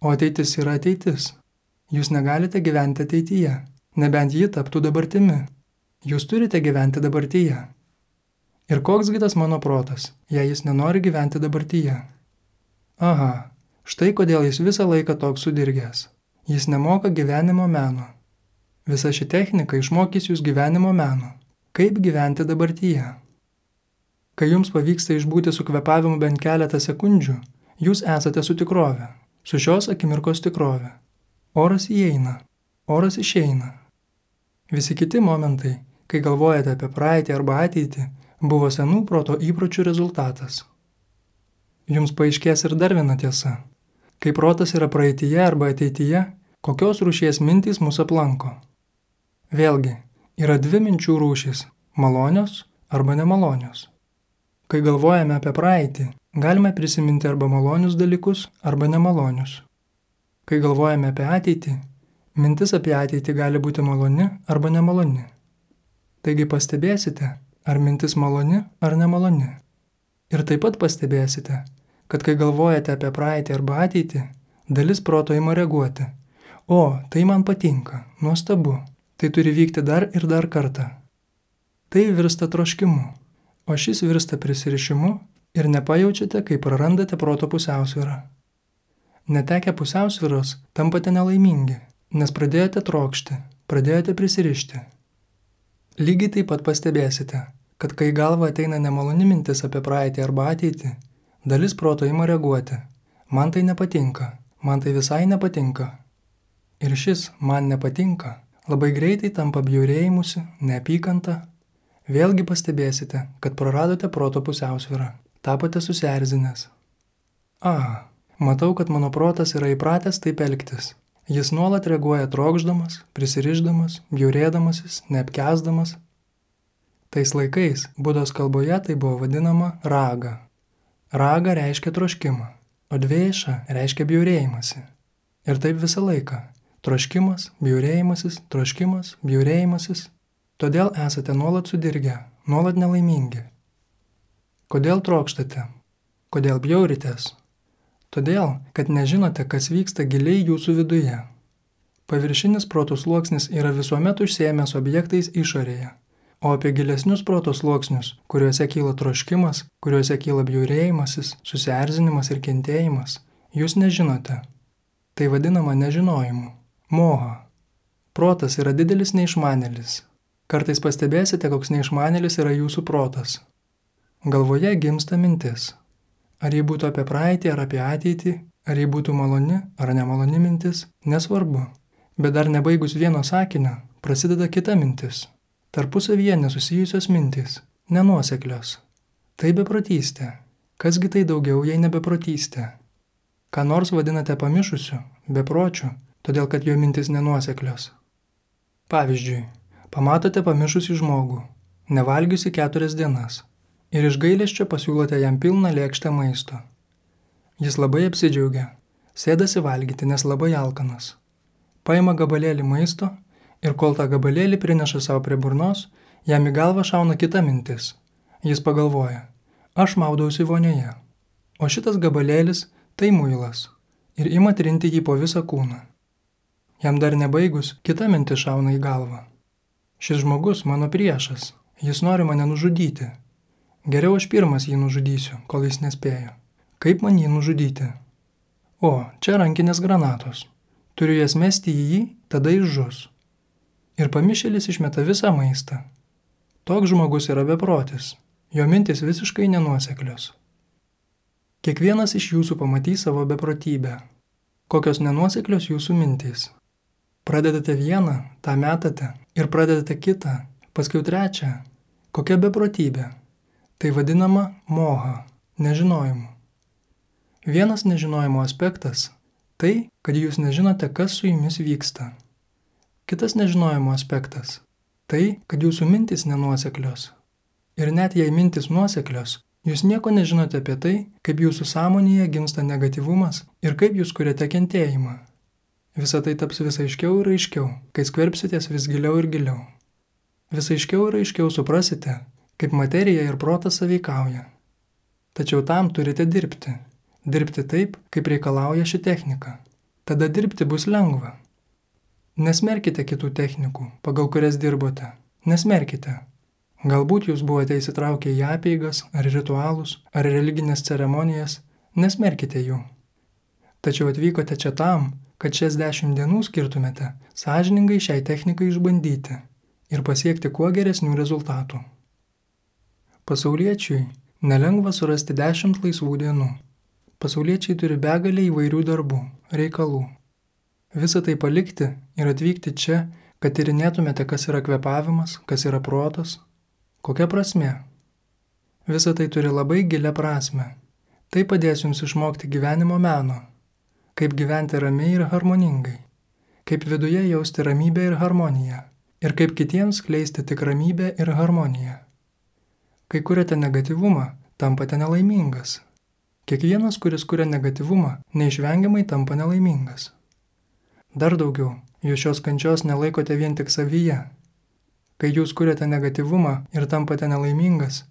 O ateitis yra ateitis. Jūs negalite gyventi ateityje, nebent ji taptų dabartimi. Jūs turite gyventi dabartyje. Ir koksgi tas mano protas, jei jis nenori gyventi dabartyje? Aha, štai kodėl jis visą laiką toks sudirgęs. Jis nemoka gyvenimo meno. Visa ši technika išmokys jūs gyvenimo meno. Kaip gyventi dabartyje? Kai jums pavyksta išbūti su kvėpavimu bent keletą sekundžių, jūs esate su tikrove, su šios akimirkos tikrove. Oras įeina, oras išeina. Visi kiti momentai, kai galvojate apie praeitį arba ateitį, buvo senų proto įpročių rezultatas. Jums paaiškės ir dar viena tiesa. Kai protas yra praeityje arba ateityje, kokios rūšies mintys mus aplanko. Vėlgi, yra dvi minčių rūšys – malonios arba nemalonios. Kai galvojame apie praeitį, galime prisiminti arba malonius dalykus, arba nemalonius. Kai galvojame apie ateitį, mintis apie ateitį gali būti maloni arba nemaloni. Taigi pastebėsite, ar mintis maloni ar nemaloni. Ir taip pat pastebėsite, kad kai galvojate apie praeitį arba ateitį, dalis proto ima reaguoti. O, tai man patinka, nuostabu, tai turi vykti dar ir dar kartą. Tai virsta troškimu, o šis virsta prisirišimu ir nepajaučiate, kai prarandate proto pusiausvyrą. Netekę pusiausvyros tampate nelaimingi, nes pradėjote trokšti, pradėjote prisirišti. Lygiai taip pat pastebėsite, kad kai galva ateina nemaloni mintis apie praeitį arba ateitį, dalis proto ima reaguoti. Man tai nepatinka, man tai visai nepatinka. Ir šis man nepatinka labai greitai tampa bjaurėjimusi, neapykanta. Vėlgi pastebėsite, kad praradote proto pusiausvyrą, tapote susierzinęs. A, matau, kad mano protas yra įpratęs taip elgtis. Jis nuolat reaguoja trokšdamas, prisirišdamas, bjaurėdamasis, neapkęsdamas. Tais laikais Budos kalboje tai buvo vadinama raga. Raga reiškia troškimą, o dvėša reiškia bjaurėjimąsi. Ir taip visą laiką. Troškimas, bjaurėjimasis, troškimas, bjaurėjimasis. Todėl esate nuolat sudirgę, nuolat nelaimingi. Kodėl trokštate? Kodėl bjauritės? Todėl, kad nežinote, kas vyksta giliai jūsų viduje. Paviršinis proto sluoksnis yra visuomet užsiėmęs objektais išorėje, o apie gilesnius proto sluoksnius, kuriuose kyla troškimas, kuriuose kyla bjaurėjimasis, susierzinimas ir kentėjimas, jūs nežinote. Tai vadinama nežinojimu. Moha. Protas yra didelis neišmanėlis. Kartais pastebėsite, koks neišmanėlis yra jūsų protas. Galvoje gimsta mintis. Ar jį būtų apie praeitį ar apie ateitį, ar jį būtų maloni ar nemaloni mintis, nesvarbu. Bet dar nebaigus vieno sakinio, prasideda kita mintis. Tarpusavyje nesusijusios mintys, nenuoseklios. Tai beprotystė. Kasgi tai daugiau, jei nebeprotystė? Ką nors vadinate pamišusiu, bepročiu, todėl kad jo mintis nenuoseklios. Pavyzdžiui, pamatote pamišusį žmogų, nevalgiusi keturias dienas, ir iš gailesčio pasiūlote jam pilną lėkštę maisto. Jis labai apsidžiaugia, sėdasi valgyti, nes labai alkanas. Paima gabalėlį maisto ir kol tą gabalėlį prineša savo prie burnos, jam į galvą šauna kita mintis. Jis pagalvoja, aš maudausi vonioje, o šitas gabalėlis tai muilas ir ima trinti jį po visą kūną. Jam dar nebaigus, kita mintis šauna į galvą. Šis žmogus mano priešas, jis nori mane nužudyti. Geriau aš pirmas jį nužudysiu, kol jis nespėjo. Kaip man jį nužudyti? O, čia rankinės granatos. Turiu jas mesti į jį, tada jis žus. Ir pamišėlis išmeta visą maistą. Toks žmogus yra beprotis, jo mintis visiškai nenuoseklios. Kiekvienas iš jūsų pamatys savo beprotybę. Kokios nenuoseklios jūsų mintys. Pradedate vieną, tą metate, ir pradedate kitą, paskui trečią. Kokia beprotybė? Tai vadinama moha, nežinojimu. Vienas nežinojimo aspektas – tai, kad jūs nežinote, kas su jumis vyksta. Kitas nežinojimo aspektas – tai, kad jūsų mintis nenuoseklios. Ir net jei mintis nuoseklios, jūs nieko nežinote apie tai, kaip jūsų sąmonėje gimsta negatyvumas ir kaip jūs kuriate kentėjimą. Visa tai taps vis aiškiau ir aiškiau, kai skverbsitės vis giliau ir giliau. Vis aiškiau ir aiškiau suprasite, kaip materija ir protas sąveikauja. Tačiau tam turite dirbti. Dirbti taip, kaip reikalauja ši technika. Tada dirbti bus lengva. Nesmerkite kitų technikų, pagal kurias dirbote. Nesmerkite. Galbūt jūs buvote įsitraukę į apeigas, ar ritualus, ar religinės ceremonijas. Nesmerkite jų. Tačiau atvykote čia tam, kad šias dešimt dienų skirtumėte sąžiningai šiai technikai išbandyti ir pasiekti kuo geresnių rezultatų. Pasauliečiui nelengva surasti dešimt laisvų dienų. Pasauliečiai turi begalę įvairių darbų, reikalų. Visą tai palikti ir atvykti čia, kad tyrinėtumėte, kas yra kvėpavimas, kas yra protas. Kokia prasmė? Visą tai turi labai gilią prasmę. Tai padės jums išmokti gyvenimo meno. Kaip gyventi ramiai ir harmoningai. Kaip viduje jausti ramybę ir harmoniją. Ir kaip kitiems skleisti tik ramybę ir harmoniją. Kai kuriate negatyvumą, tampate nelaimingas. Kiekvienas, kuris kuria negatyvumą, neišvengiamai tampa nelaimingas. Dar daugiau, jūs šios kančios nelaikote vien tik savyje. Kai jūs kuriate negatyvumą ir tampate nelaimingas,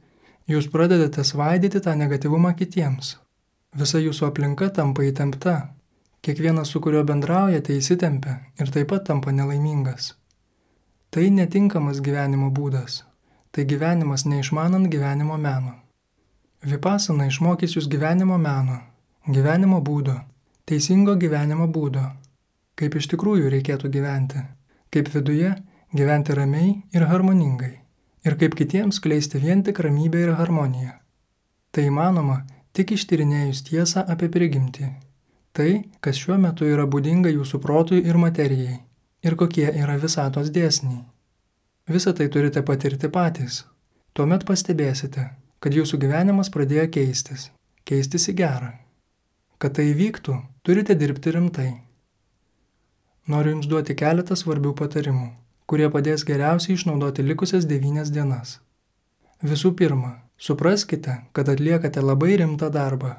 jūs pradedate svaidyti tą negatyvumą kitiems. Visa jūsų aplinka tampa įtempta. Kiekvienas, su kuriuo bendraujate, įsitempia ir taip pat tampa nelaimingas. Tai netinkamas gyvenimo būdas. Tai gyvenimas neišmanant gyvenimo meno. Vipasana išmokys jūs gyvenimo meno, gyvenimo būdo, teisingo gyvenimo būdo, kaip iš tikrųjų reikėtų gyventi, kaip viduje gyventi ramiai ir harmoningai, ir kaip kitiems skleisti vien tik ramybę ir harmoniją. Tai įmanoma tik ištyrinėjus tiesą apie prigimtį. Tai, kas šiuo metu yra būdinga jūsų protui ir materijai, ir kokie yra visatos dėsniai. Visą tai turite patirti patys. Tuomet pastebėsite, kad jūsų gyvenimas pradėjo keistis, keistis į gerą. Kad tai įvyktų, turite dirbti rimtai. Noriu jums duoti keletą svarbių patarimų, kurie padės geriausiai išnaudoti likusias devynias dienas. Visų pirma, supraskite, kad atliekate labai rimtą darbą.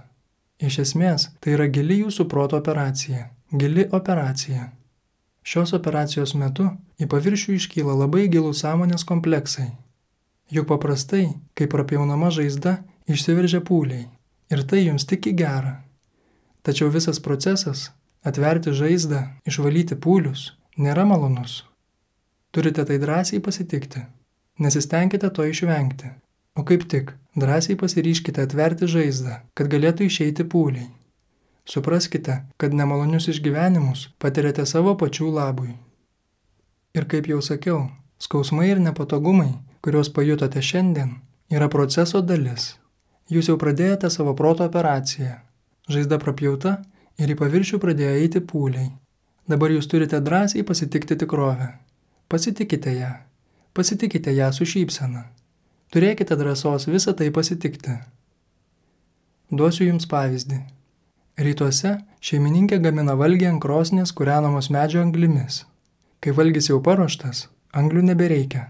Iš esmės, tai yra gili jūsų proto operacija, gili operacija. Šios operacijos metu į paviršių iškyla labai gilūs sąmonės kompleksai. Juk paprastai, kai prapjaunama žaizda, išsiveržia pūliai. Ir tai jums tik į gerą. Tačiau visas procesas – atverti žaizdą, išvalyti pūlius – nėra malonus. Turite tai drąsiai pasitikti. Nesistengkite to išvengti. O kaip tik, drąsiai pasiryškite atverti žaizdą, kad galėtų išeiti pūliai. Supraskite, kad nemalonius išgyvenimus patiriate savo pačių labui. Ir kaip jau sakiau, skausmai ir nepatogumai, kuriuos pajutote šiandien, yra proceso dalis. Jūs jau pradėjote savo proto operaciją. Žaizda prapjauta ir į paviršių pradėjo eiti pūliai. Dabar jūs turite drąsiai pasitikti tikrovę. Pasitikite ją. Pasitikite ją su šypsena. Turėkite drąsos visą tai pasitikti. Duosiu jums pavyzdį. Rytuose šeimininkė gamina valgį ant krosnies kūrenamos medžio anglimis. Kai valgis jau paruoštas, anglių nebereikia,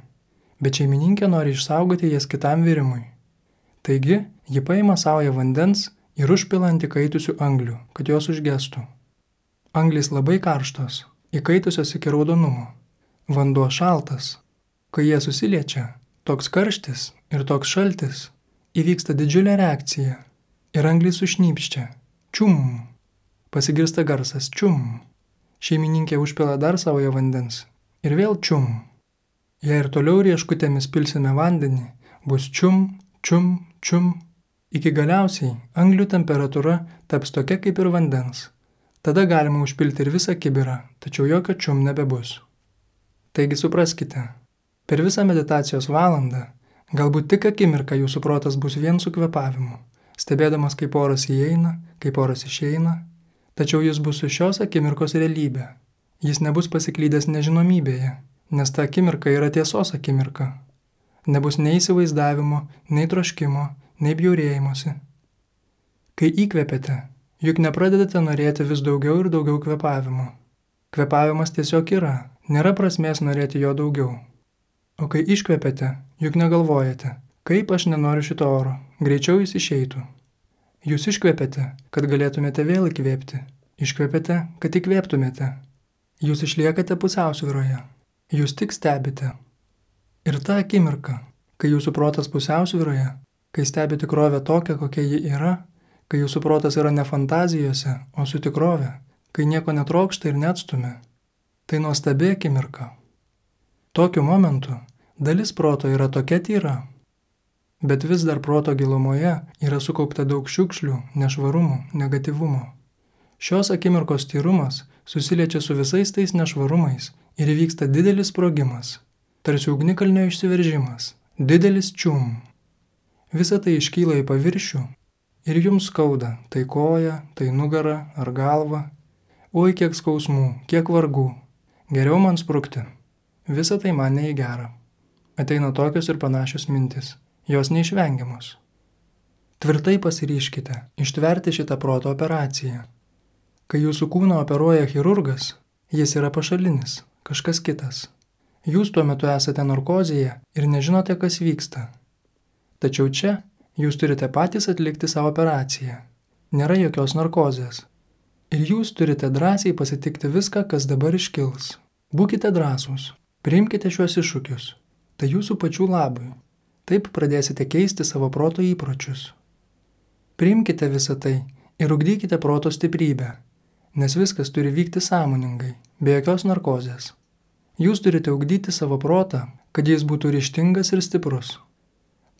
bet šeimininkė nori išsaugoti jas kitam virimui. Taigi, ji paima saują vandens ir užpila ant įkaitusių anglių, kad jos užgestų. Anglys labai karštos, įkaitusios iki raudonumo. Vanduo šaltas. Kai jie susiliečia, toks karštis ir toks šaltis, įvyksta didžiulė reakcija ir anglys sušnypščia. Čium. Pasigirsta garsas čium. Šeimininkė užpila dar saują vandens ir vėl čium. Jei ir toliau rieškutėmis pilsime vandenį, bus čium, čium, čium. Iki galiausiai anglių temperatūra taps tokia kaip ir vandens. Tada galima užpilti ir visą kibirą, tačiau jokio čium nebebus. Taigi supraskite, per visą meditacijos valandą, galbūt tik akimirką jūsų protas bus vien su kvėpavimu, stebėdamas kaip oras įeina, kaip oras išeina, tačiau jis bus su šios akimirkos realybė. Jis nebus pasiklydęs nežinomybėje, nes ta akimirka yra tiesos akimirka. Nebus nei įsivaizdavimo, nei troškimo, nei bjaurėjimosi. Kai įkvėpėte, juk nepradedate norėti vis daugiau ir daugiau kvėpavimo. Kvėpavimas tiesiog yra, nėra prasmės norėti jo daugiau. O kai iškvėpėte, juk negalvojate, kaip aš nenoriu šito oro, greičiau jis išeitų. Jūs iškvėpėte, kad galėtumėte vėl įkvėpti, iškvėpėte, kad įkvėptumėte. Jūs išliekate pusiausvyroje, jūs tik stebite. Ir ta akimirka, kai jūsų protas pusiausvyroje, kai stebi tikrovę tokią, kokia ji yra, kai jūsų protas yra ne fantazijose, o su tikrove, kai nieko netrokšta ir neatstumia, tai nuostabi akimirka. Tokiu momentu dalis proto yra tokia tyra, bet vis dar proto gilumoje yra sukaupta daug šiukšlių, nešvarumų, negatyvumo. Šios akimirkos tyrumas susiliečia su visais tais nešvarumais ir įvyksta didelis sprogimas, tarsi ugnikalnio išsiveržimas, didelis čium. Visa tai iškyla į paviršių ir jums skauda, tai koja, tai nugara ar galva. Oi, kiek skausmų, kiek vargų, geriau man sprukti. Visa tai man ne į gerą. Ateina tokios ir panašios mintis, jos neišvengiamos. Tvirtai pasiryškite ištverti šitą proto operaciją. Kai jūsų kūną operuoja chirurgas, jis yra pašalinis, kažkas kitas. Jūs tuo metu esate narkozėje ir nežinote, kas vyksta. Tačiau čia jūs turite patys atlikti savo operaciją. Nėra jokios narkozės. Ir jūs turite drąsiai pasitikti viską, kas dabar iškils. Būkite drąsūs, priimkite šiuos iššūkius. Tai jūsų pačių labui. Taip pradėsite keisti savo proto įpročius. Priimkite visą tai ir ugdykite proto stiprybę, nes viskas turi vykti sąmoningai, be jokios narkozės. Jūs turite ugdyti savo protą, kad jis būtų ryžtingas ir stiprus.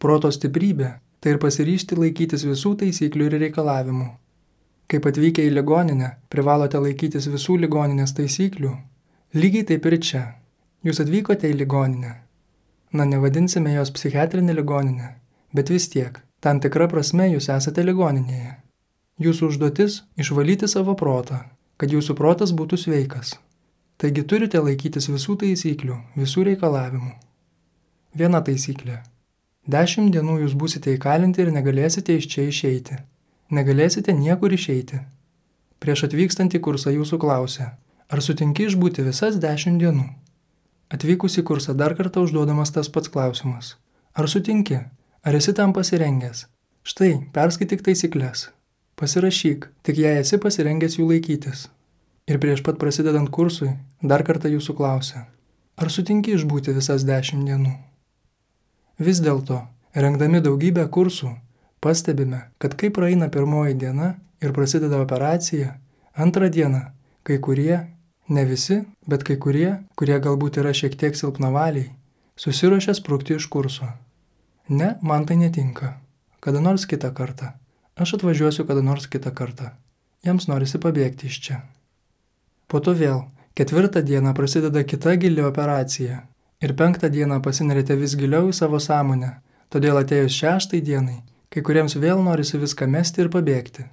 Proto stiprybė – tai ir pasiryžti laikytis visų taisyklių ir reikalavimų. Kaip atvykę į ligoninę, privalote laikytis visų ligoninės taisyklių. Lygiai taip ir čia. Jūs atvykote į ligoninę. Na, nevadinsime jos psichiatrinė ligoninė, bet vis tiek, tam tikra prasme jūs esate ligoninėje. Jūsų užduotis – išvalyti savo protą, kad jūsų protas būtų sveikas. Taigi turite laikytis visų taisyklių, visų reikalavimų. Viena taisyklė. Dešimt dienų jūs būsite įkalinti ir negalėsite iš čia išeiti. Negalėsite niekur išeiti. Prieš atvykstant į kursą jūsų klausia, ar sutinki išbūti visas dešimt dienų? Atvykus į kursą dar kartą užduodamas tas pats klausimas. Ar sutinki? Ar esi tam pasirengęs? Štai, perskaityk taisyklės. Pasirašyk, tik jei esi pasirengęs jų laikytis. Ir prieš pat prasidedant kursui, dar kartą jūsų klausia, ar sutinki išbūti visas dešimt dienų? Vis dėlto, rengdami daugybę kursų, pastebime, kad kai praeina pirmoji diena ir prasideda operacija, antrą dieną, kai kurie, ne visi, bet kai kurie, kurie galbūt yra šiek tiek silpnavaliai, susiruošia sprukti iš kurso. Ne, man tai netinka. Kada nors kitą kartą. Aš atvažiuosiu kada nors kitą kartą. Jiems norisi pabėgti iš čia. Po to vėl, ketvirtą dieną prasideda kita gili operacija ir penktą dieną pasinerite vis giliau į savo sąmonę, todėl atėjus šeštai dienai, Kai kuriems vėl norisi viską mesti ir pabėgti.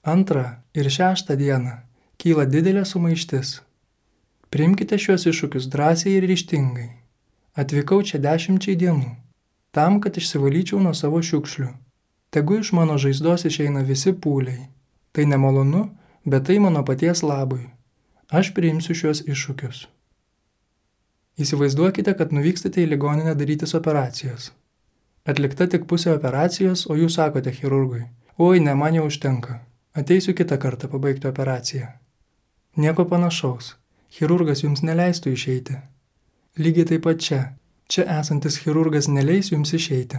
Antrą ir šeštą dieną kyla didelė sumaištis. Priimkite šiuos iššūkius drąsiai ir ryžtingai. Atvykau čia dešimčiai dienų, tam, kad išsivalyčiau nuo savo šiukšlių. Tegu iš mano žaizdos išeina visi pūliai. Tai nemalonu, bet tai mano paties labui. Aš priimsiu šiuos iššūkius. Įsivaizduokite, kad nuvykstate į ligoninę darytis operacijos. Atlikta tik pusė operacijos, o jūs sakote chirurgui: oi, ne, man jau užtenka. Ateisiu kitą kartą pabaigti operaciją. Nieko panašaus. Chirurgas jums neleistų išeiti. Lygiai taip pat čia. Čia esantis chirurgas neleis jums išeiti.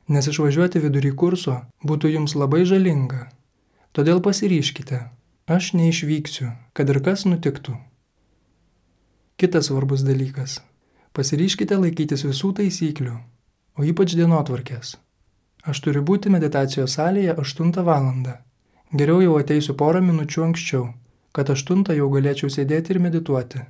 Nes išvažiuoti vidury kurso būtų jums labai žalinga. Todėl pasiryžkite. Aš neišvyksiu, kad ir kas nutiktų. Kitas svarbus dalykas. Pasiryžkite laikytis visų taisyklių, o ypač dienotvarkės. Aš turiu būti meditacijos salėje aštuntą valandą. Geriau jau ateisiu porą minučių anksčiau, kad aštuntą jau galėčiau sėdėti ir medituoti.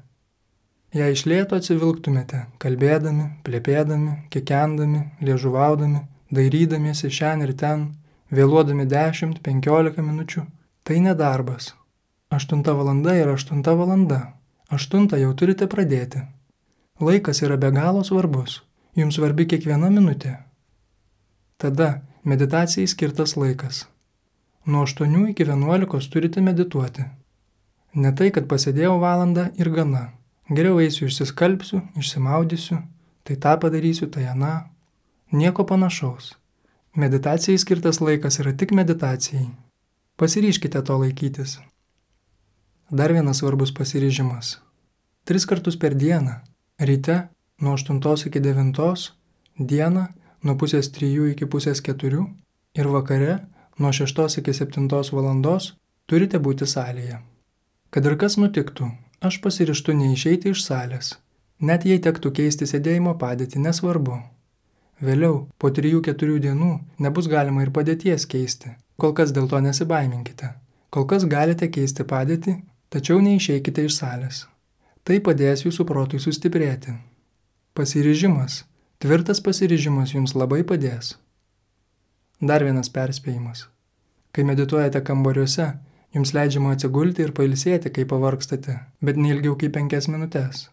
Jei iš lėto atsivilktumėte, kalbėdami, plepėdami, kikendami, liežuvaudami, dairydamiesi šen ir ten, vėluodami dešimt penkiolika minučių, tai nedarbas. Aštunta valanda yra aštunta valanda. Aštuntą jau turite pradėti. Laikas yra be galo svarbus. Jums svarbi kiekviena minutė. Tada meditacijai skirtas laikas. Nuo aštuonių iki vienuolikos turite medituoti. Ne tai, kad pasėdėjau valandą ir gana. Geriau eisiu išsiskalbsiu, išsimaudysiu, tai tą padarysiu, tai aną. Nieko panašaus. Meditacijai skirtas laikas yra tik meditacijai. Pasiryžkite to laikytis. Dar vienas svarbus pasiryžimas. Tris kartus per dieną. Ryte nuo aštuntos iki devintos, dieną nuo pusės trijų iki pusės keturių ir vakare nuo šeštos iki septintos valandos turite būti salėje. Kad ir kas nutiktų, aš pasiryžtu neišeiti iš salės. Net jei tektų keisti sėdėjimo padėtį, nesvarbu. Vėliau, po trijų keturių dienų, nebus galima ir padėties keisti. Kol kas dėl to nesibaiminkite. Kol kas galite keisti padėtį, tačiau neišeikite iš salės. Tai padės jūsų protui sustiprėti. Pasiryžimas, tvirtas pasiryžimas jums labai padės. Dar vienas perspėjimas. Kai medituojate kambariuose, jums leidžiama atsigulti ir pailsėti, kai pavargstate, bet neilgiau kaip penkias minutės.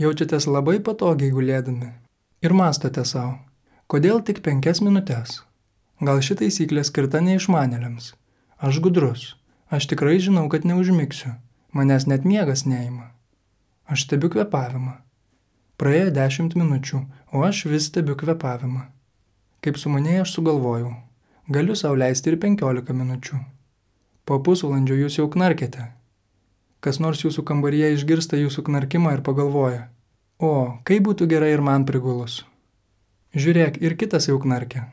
Jaučiatės labai patogiai gulėdami. Ir mąstote savo, kodėl tik penkias minutės? Gal ši taisyklė skirta neišmanėliams? Aš gudrus, aš tikrai žinau, kad neužmigsiu, manęs net miegas neima. Aš stebiu kvėpavimą. Praėjo dešimt minučių, o aš vis stebiu kvėpavimą. Kaip sumanėjai aš sugalvojau, galiu sau leisti ir penkiolika minučių. Po pusvalandžio jūs jau knarkėte. Kas nors jūsų kambaryje išgirsta jūsų knarkimą ir pagalvoja: o, kaip būtų gerai ir man prigulus. Žiūrėk, ir kitas jau knarkia.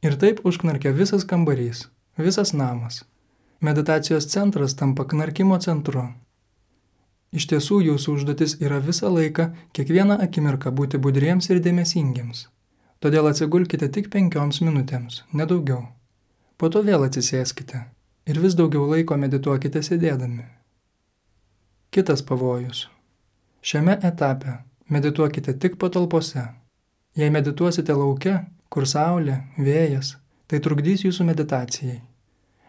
Ir taip užknarkia visas kambarys, visas namas. Meditacijos centras tampa knarkimo centru. Iš tiesų, jūsų užduotis yra visą laiką, kiekvieną akimirką būti budriems ir dėmesingiems. Todėl atsigulkite tik penkioms minutėms, nedaugiau. Po to vėl atsisėskite ir vis daugiau laiko medituokite sėdėdami. Kitas pavojus. Šiame etape medituokite tik patalpose. Jei medituosite lauke, kur saulė, vėjas, tai trukdys jūsų meditacijai.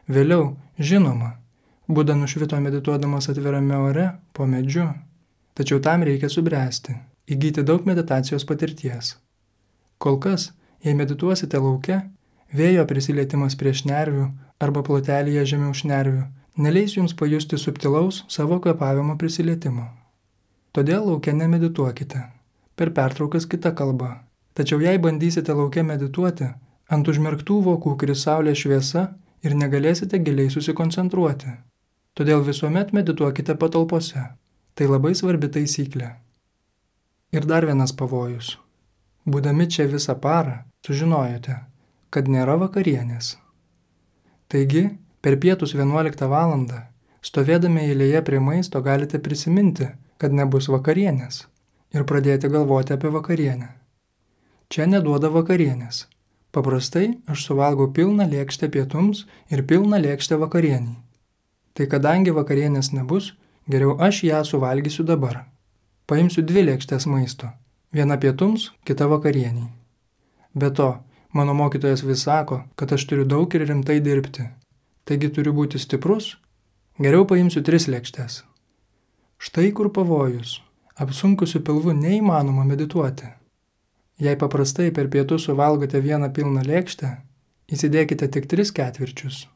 Vėliau, žinoma, Buda nušvito medituodamas atvirame ore, po medžiu, tačiau tam reikia subręsti, įgyti daug meditacijos patirties. Kol kas, jei medituosite lauke, vėjo prisilietimas prie šnervių arba plotelyje žemiau šnervių neleis jums pajusti subtilaus savo kvėpavimo prisilietimo. Todėl lauke nemedituokite, per pertraukas kita kalba. Tačiau jei bandysite lauke medituoti, ant užmerktų vokų kris saulės šviesa ir negalėsite giliai susikoncentruoti. Todėl visuomet medituokite patalpose. Tai labai svarbi taisyklė. Ir dar vienas pavojus. Būdami čia visą parą, sužinojote, kad nėra vakarienės. Taigi, per pietus vienuoliktą valandą, stovėdami eilėje prie maisto galite prisiminti, kad nebus vakarienės ir pradėti galvoti apie vakarienę. Čia neduoda vakarienės. Paprastai aš suvalgau pilną lėkštę pietums ir pilną lėkštę vakarieniai. Tai kadangi vakarienės nebus, geriau aš ją suvalgysiu dabar. Paimsiu dvi lėkštės maisto. Viena pietums, kita vakarieniai. Be to, Mano mokytojas vis sako, kad aš turiu daug ir rimtai dirbti. Taigi turiu būti stiprus? Geriau paimsiu tris lėkštes. Štai kur pavojus. Apsunkusiu pilvu neįmanoma medituoti. Jei paprastai per pietus suvalgote vieną pilną lėkštę, įsidėkite tik tris ketvirčius.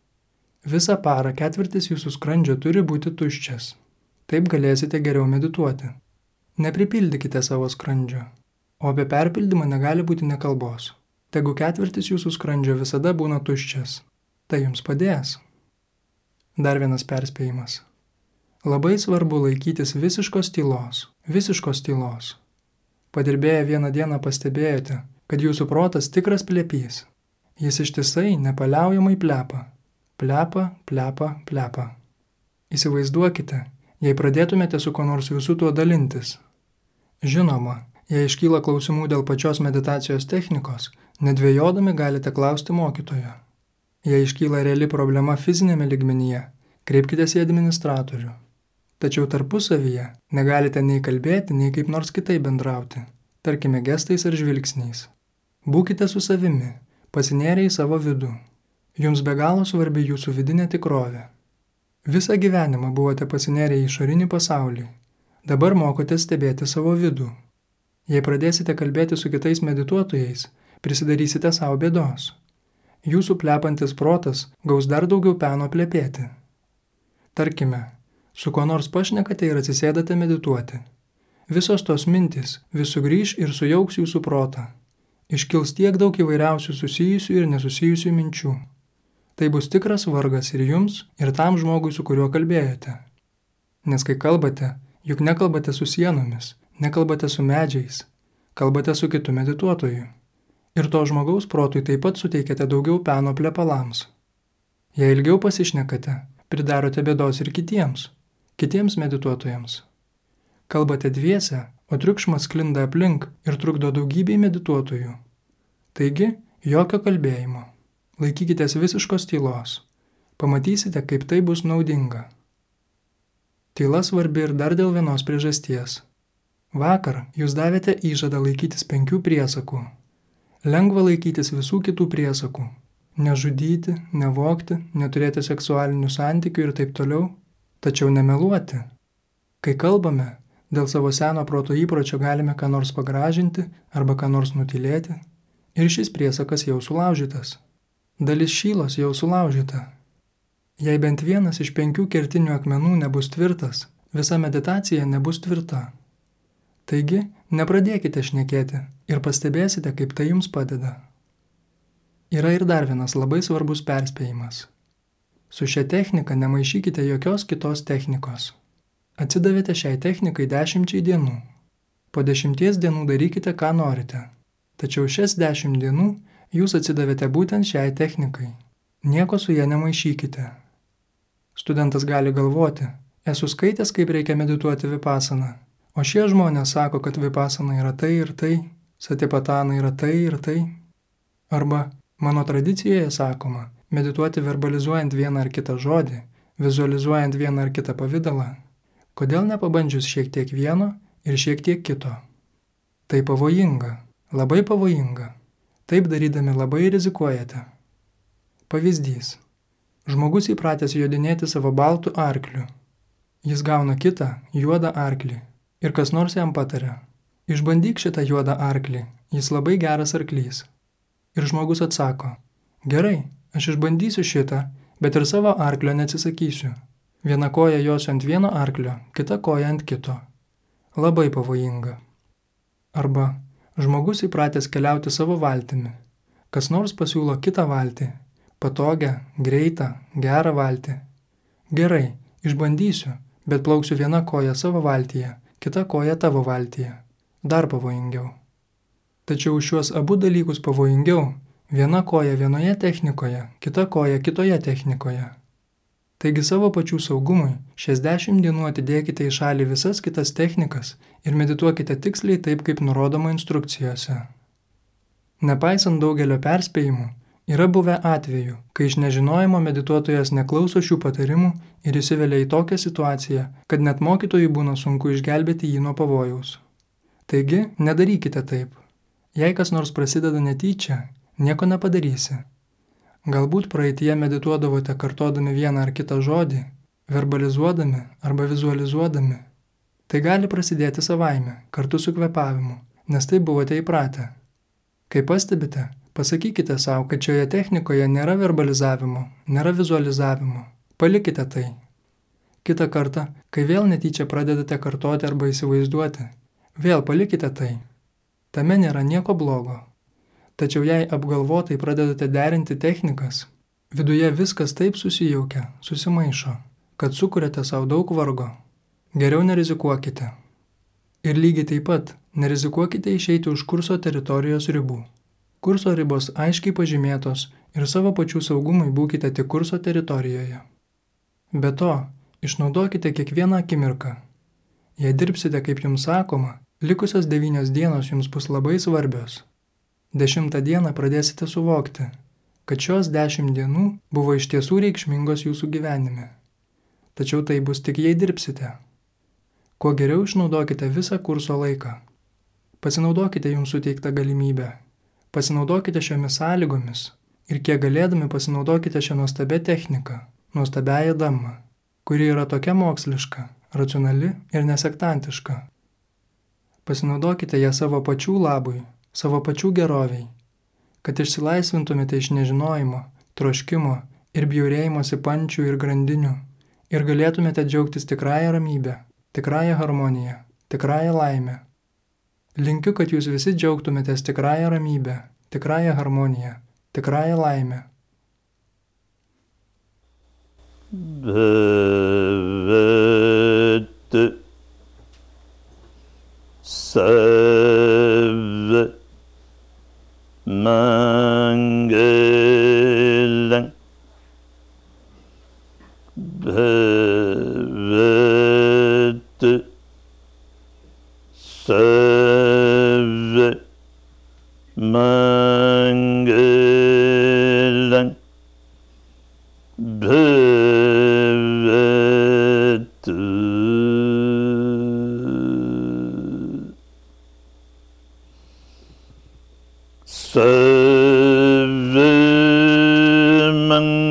Visą parą ketvirtis jūsų skrandžio turi būti tuščias. Taip galėsite geriau medituoti. Nepripildykite savo skrandžio, o apie perpildymą negali būti nė kalbos. Tegu ketvirtis jūsų skrandžio visada būna tuščias. Tai jums padės. Dar vienas perspėjimas. Labai svarbu laikytis visiškos tylos, visiškos tylos. Padirbėję vieną dieną pastebėjote, kad jūsų protas tikras plepys. Jis ištisai nepaliaujamai plepa. Plepa, plepa, plepa. Įsivaizduokite, jei pradėtumėte su kuo nors visų tuo dalintis. Žinoma, jei iškyla klausimų dėl pačios meditacijos technikos, nedvejodami galite klausti mokytojo. Jei iškyla reali problema fizinėme lygmenyje, kreipkitės į administratorių. Tačiau tarpusavyje negalite nei kalbėti, nei kaip nors kitaip bendrauti, tarkime gestais ar žvilgsniais. Būkite su savimi, pasinėrę į savo vidų. Jums be galo svarbi jūsų vidinė tikrovė. Visą gyvenimą buvote pasinėrę į išorinį pasaulį. Dabar mokote stebėti savo vidų. Jei pradėsite kalbėti su kitais medituotojais, prisidarysite savo bėdos. Jūsų plepantis protas gaus dar daugiau peno plepėti. Tarkime, su kuo nors pašnekate ir atsisėdate medituoti. Visos tos mintys vis sugrįš ir sujauks jūsų protą. Iškils tiek daug įvairiausių susijusių ir nesusijusių minčių. Tai bus tikras vargas ir jums, ir tam žmogui, su kuriuo kalbėjote. Nes kai kalbate, juk nekalbate su sienomis, nekalbate su medžiais, kalbate su kitu medituotoju. Ir to žmogaus protui taip pat suteikėte daugiau peno plepalams. Jei ilgiau pasišnekate, pridarote bėdos ir kitiems, kitiems medituotojams. Kalbate dviese, o triukšmas sklinda aplink ir trukdo daugybei medituotojų. Taigi, jokio kalbėjimo. Laikykitės visiškos tylos. Pamatysite, kaip tai bus naudinga. Tyla svarbi ir dar dėl vienos priežasties. Vakar jūs davėte įžadą laikytis penkių priesakų. Lengva laikytis visų kitų priesakų. Nežudyti, nevogti, neturėti seksualinių santykių ir taip toliau. Tačiau nemeluoti. Kai kalbame, dėl savo seno proto įpročio galime ką nors pagražinti arba ką nors nutylėti. Ir šis priesakas jau sulaužytas. Dalis šylos jau sulaužyta. Jei bent vienas iš penkių kertinių akmenų nebus tvirtas, visa meditacija nebus tvirta. Taigi, nepradėkite šnekėti ir pastebėsite, kaip tai jums padeda. Yra ir dar vienas labai svarbus perspėjimas. Su šia technika nemaišykite jokios kitos technikos. Atsidavėte šiai technikai dešimčiai dienų. Po dešimties dienų darykite, ką norite. Tačiau šias dešimt dienų jūs atsidavėte būtent šiai technikai. Nieko su ja nemaišykite. Studentas gali galvoti, esu skaitęs, kaip reikia medituoti vipasaną, o šie žmonės sako, kad vipasana yra tai ir tai, satipatana yra tai ir tai. Arba mano tradicijoje sakoma, medituoti verbalizuojant vieną ar kitą žodį, vizualizuojant vieną ar kitą pavidalą. Kodėl nepabandžius šiek tiek vieno ir šiek tiek kito? Tai pavojinga, labai pavojinga. Taip darydami labai rizikuojate. Pavyzdys. Žmogus įpratęs jodinėti savo baltu arkliu. Jis gauna kitą, juodą arklį. Ir kas nors jam pataria. Išbandyk šitą juodą arklį, jis labai geras arklys. Ir žmogus atsako, gerai, aš išbandysiu šitą, bet ir savo arklio neatsisakysiu. Viena koja josiu ant vieno arklio, kita koja ant kito. Labai pavojinga. Arba žmogus įpratęs keliauti savo valtimi. Kas nors pasiūlo kitą valtį, patogią, greitą, gerą valtį. Gerai, išbandysiu, bet plauksiu viena koja savo valtyje, kita koja tavo valtyje. Dar pavojingiau. Tačiau šiuos abu dalykus pavojingiau, viena koja vienoje technikoje, kita koja kitoje technikoje. Taigi savo pačių saugumui šias dešimt dienų atidėkite į šalį visas kitas technikas ir medituokite tiksliai taip, kaip nurodoma instrukcijose. Nepaisant daugelio perspėjimų, yra buvę atvejų, kai iš nežinojimo medituotojas neklauso šių patarimų ir įsivelia į tokią situaciją, kad net mokytojui būna sunku išgelbėti jį nuo pavojaus. Taigi, nedarykite taip. Jei kas nors prasideda netyčia, nieko nepadarysi. Galbūt praeitie medituodavote kartodami vieną ar kitą žodį, verbalizuodami arba vizualizuodami. Tai gali prasidėti savaime, kartu su kvėpavimu, nes taip buvote įpratę. Kai pastebite, pasakykite savo, kad šioje technikoje nėra verbalizavimo, nėra vizualizavimo. Palikite tai. Kitą kartą, kai vėl netyčia pradedate kartoti arba įsivaizduoti, vėl palikite tai. Tame nėra nieko blogo. Tačiau jei apgalvotai pradedate derinti technikas, viduje viskas taip susijaukia, susimaišo, kad sukuriate savo daug vargo. Geriau nerizikuokite. Ir lygiai taip pat nerizikuokite išeiti už kurso teritorijos ribų. Kurso ribos aiškiai pažymėtos ir savo pačių saugumui būkite tik kurso teritorijoje. Be to, išnaudokite kiekvieną akimirką. Jei dirbsite kaip jums sakoma, likusios devynios dienos jums bus labai svarbios. Dešimtą dieną pradėsite suvokti, kad šios dešimt dienų buvo iš tiesų reikšmingos jūsų gyvenime. Tačiau tai bus tik jei dirbsite. Kuo geriau išnaudokite visą kurso laiką. Pasinaudokite jums suteiktą galimybę. Pasinaudokite šiomis sąlygomis ir kiek galėdami pasinaudokite šią nuostabią techniką, nuostabiąją damą, kuri yra tokia moksliška, racionali ir nesektantiška. Pasinaudokite ją savo pačių labui, savo pačių geroviai, kad išsilaisvintumėte iš nežinojimo, troškimo ir bjaurėjimosi pančių ir grandinių ir galėtumėte džiaugtis tikrąją ramybę, tikrąją harmoniją, tikrąją laimę. Linkiu, kad jūs visi džiaugtumėtės tikrąją ramybę, tikrąją harmoniją, tikrąją laimę. Bhavad Sarva Mangalam Bhavad Sarva Mangalam Bhavatu Sarva Mangalam.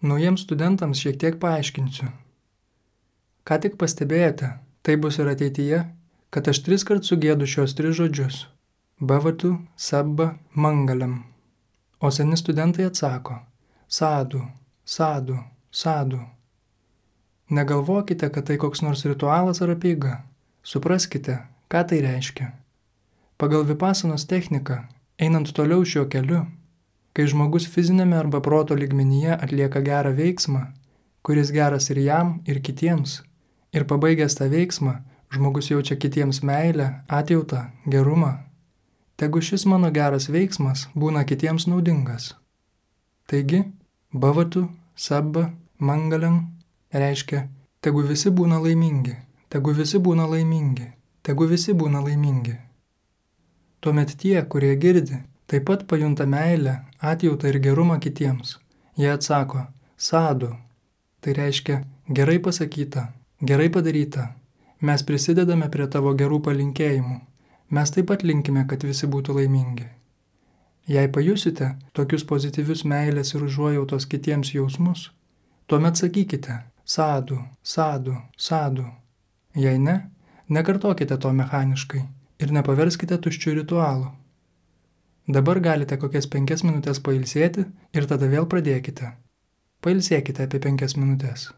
Naujiems studentams šiek tiek paaiškinsiu. Ką tik pastebėjote, tai bus ir ateityje, kad aš tris kart sugėdu šios tris žodžius – Bhavatu, Sabba, Mangalam. O seni studentai atsako – Sadu, Sadu, Sadu. Negalvokite, kad tai koks nors ritualas ar apeiga. Supraskite, ką tai reiškia. Pagal vipasanos techniką, einant toliau šiuo keliu, kai žmogus fizinėme arba proto lygmenyje atlieka gerą veiksmą, kuris geras ir jam, ir kitiems, ir pabaigęs tą veiksmą, žmogus jaučia kitiems meilę, atjautą, gerumą, tegu šis mano geras veiksmas būna kitiems naudingas. Taigi, Bhavatu, Sabba, Mangalam reiškia, tegu visi būna laimingi, tegu visi būna laimingi, tegu visi būna laimingi. Tuomet tie, kurie girdi, taip pat pajunta meilę, atjautą ir gerumą kitiems. Jie atsako, Sadu. Tai reiškia, gerai pasakyta, gerai padaryta. Mes prisidedame prie tavo gerų palinkėjimų. Mes taip pat linkime, kad visi būtų laimingi. Jei pajusite tokius pozityvius meilės ir užuojautos kitiems jausmus, tuomet sakykite, Sadu, Sadu, Sadu. Jei ne, nekartokite to mechaniškai ir nepaverskite tuščių ritualų. Dabar galite kokias penkias minutės pailsėti ir tada vėl pradėkite. Pailsėkite apie penkias minutės.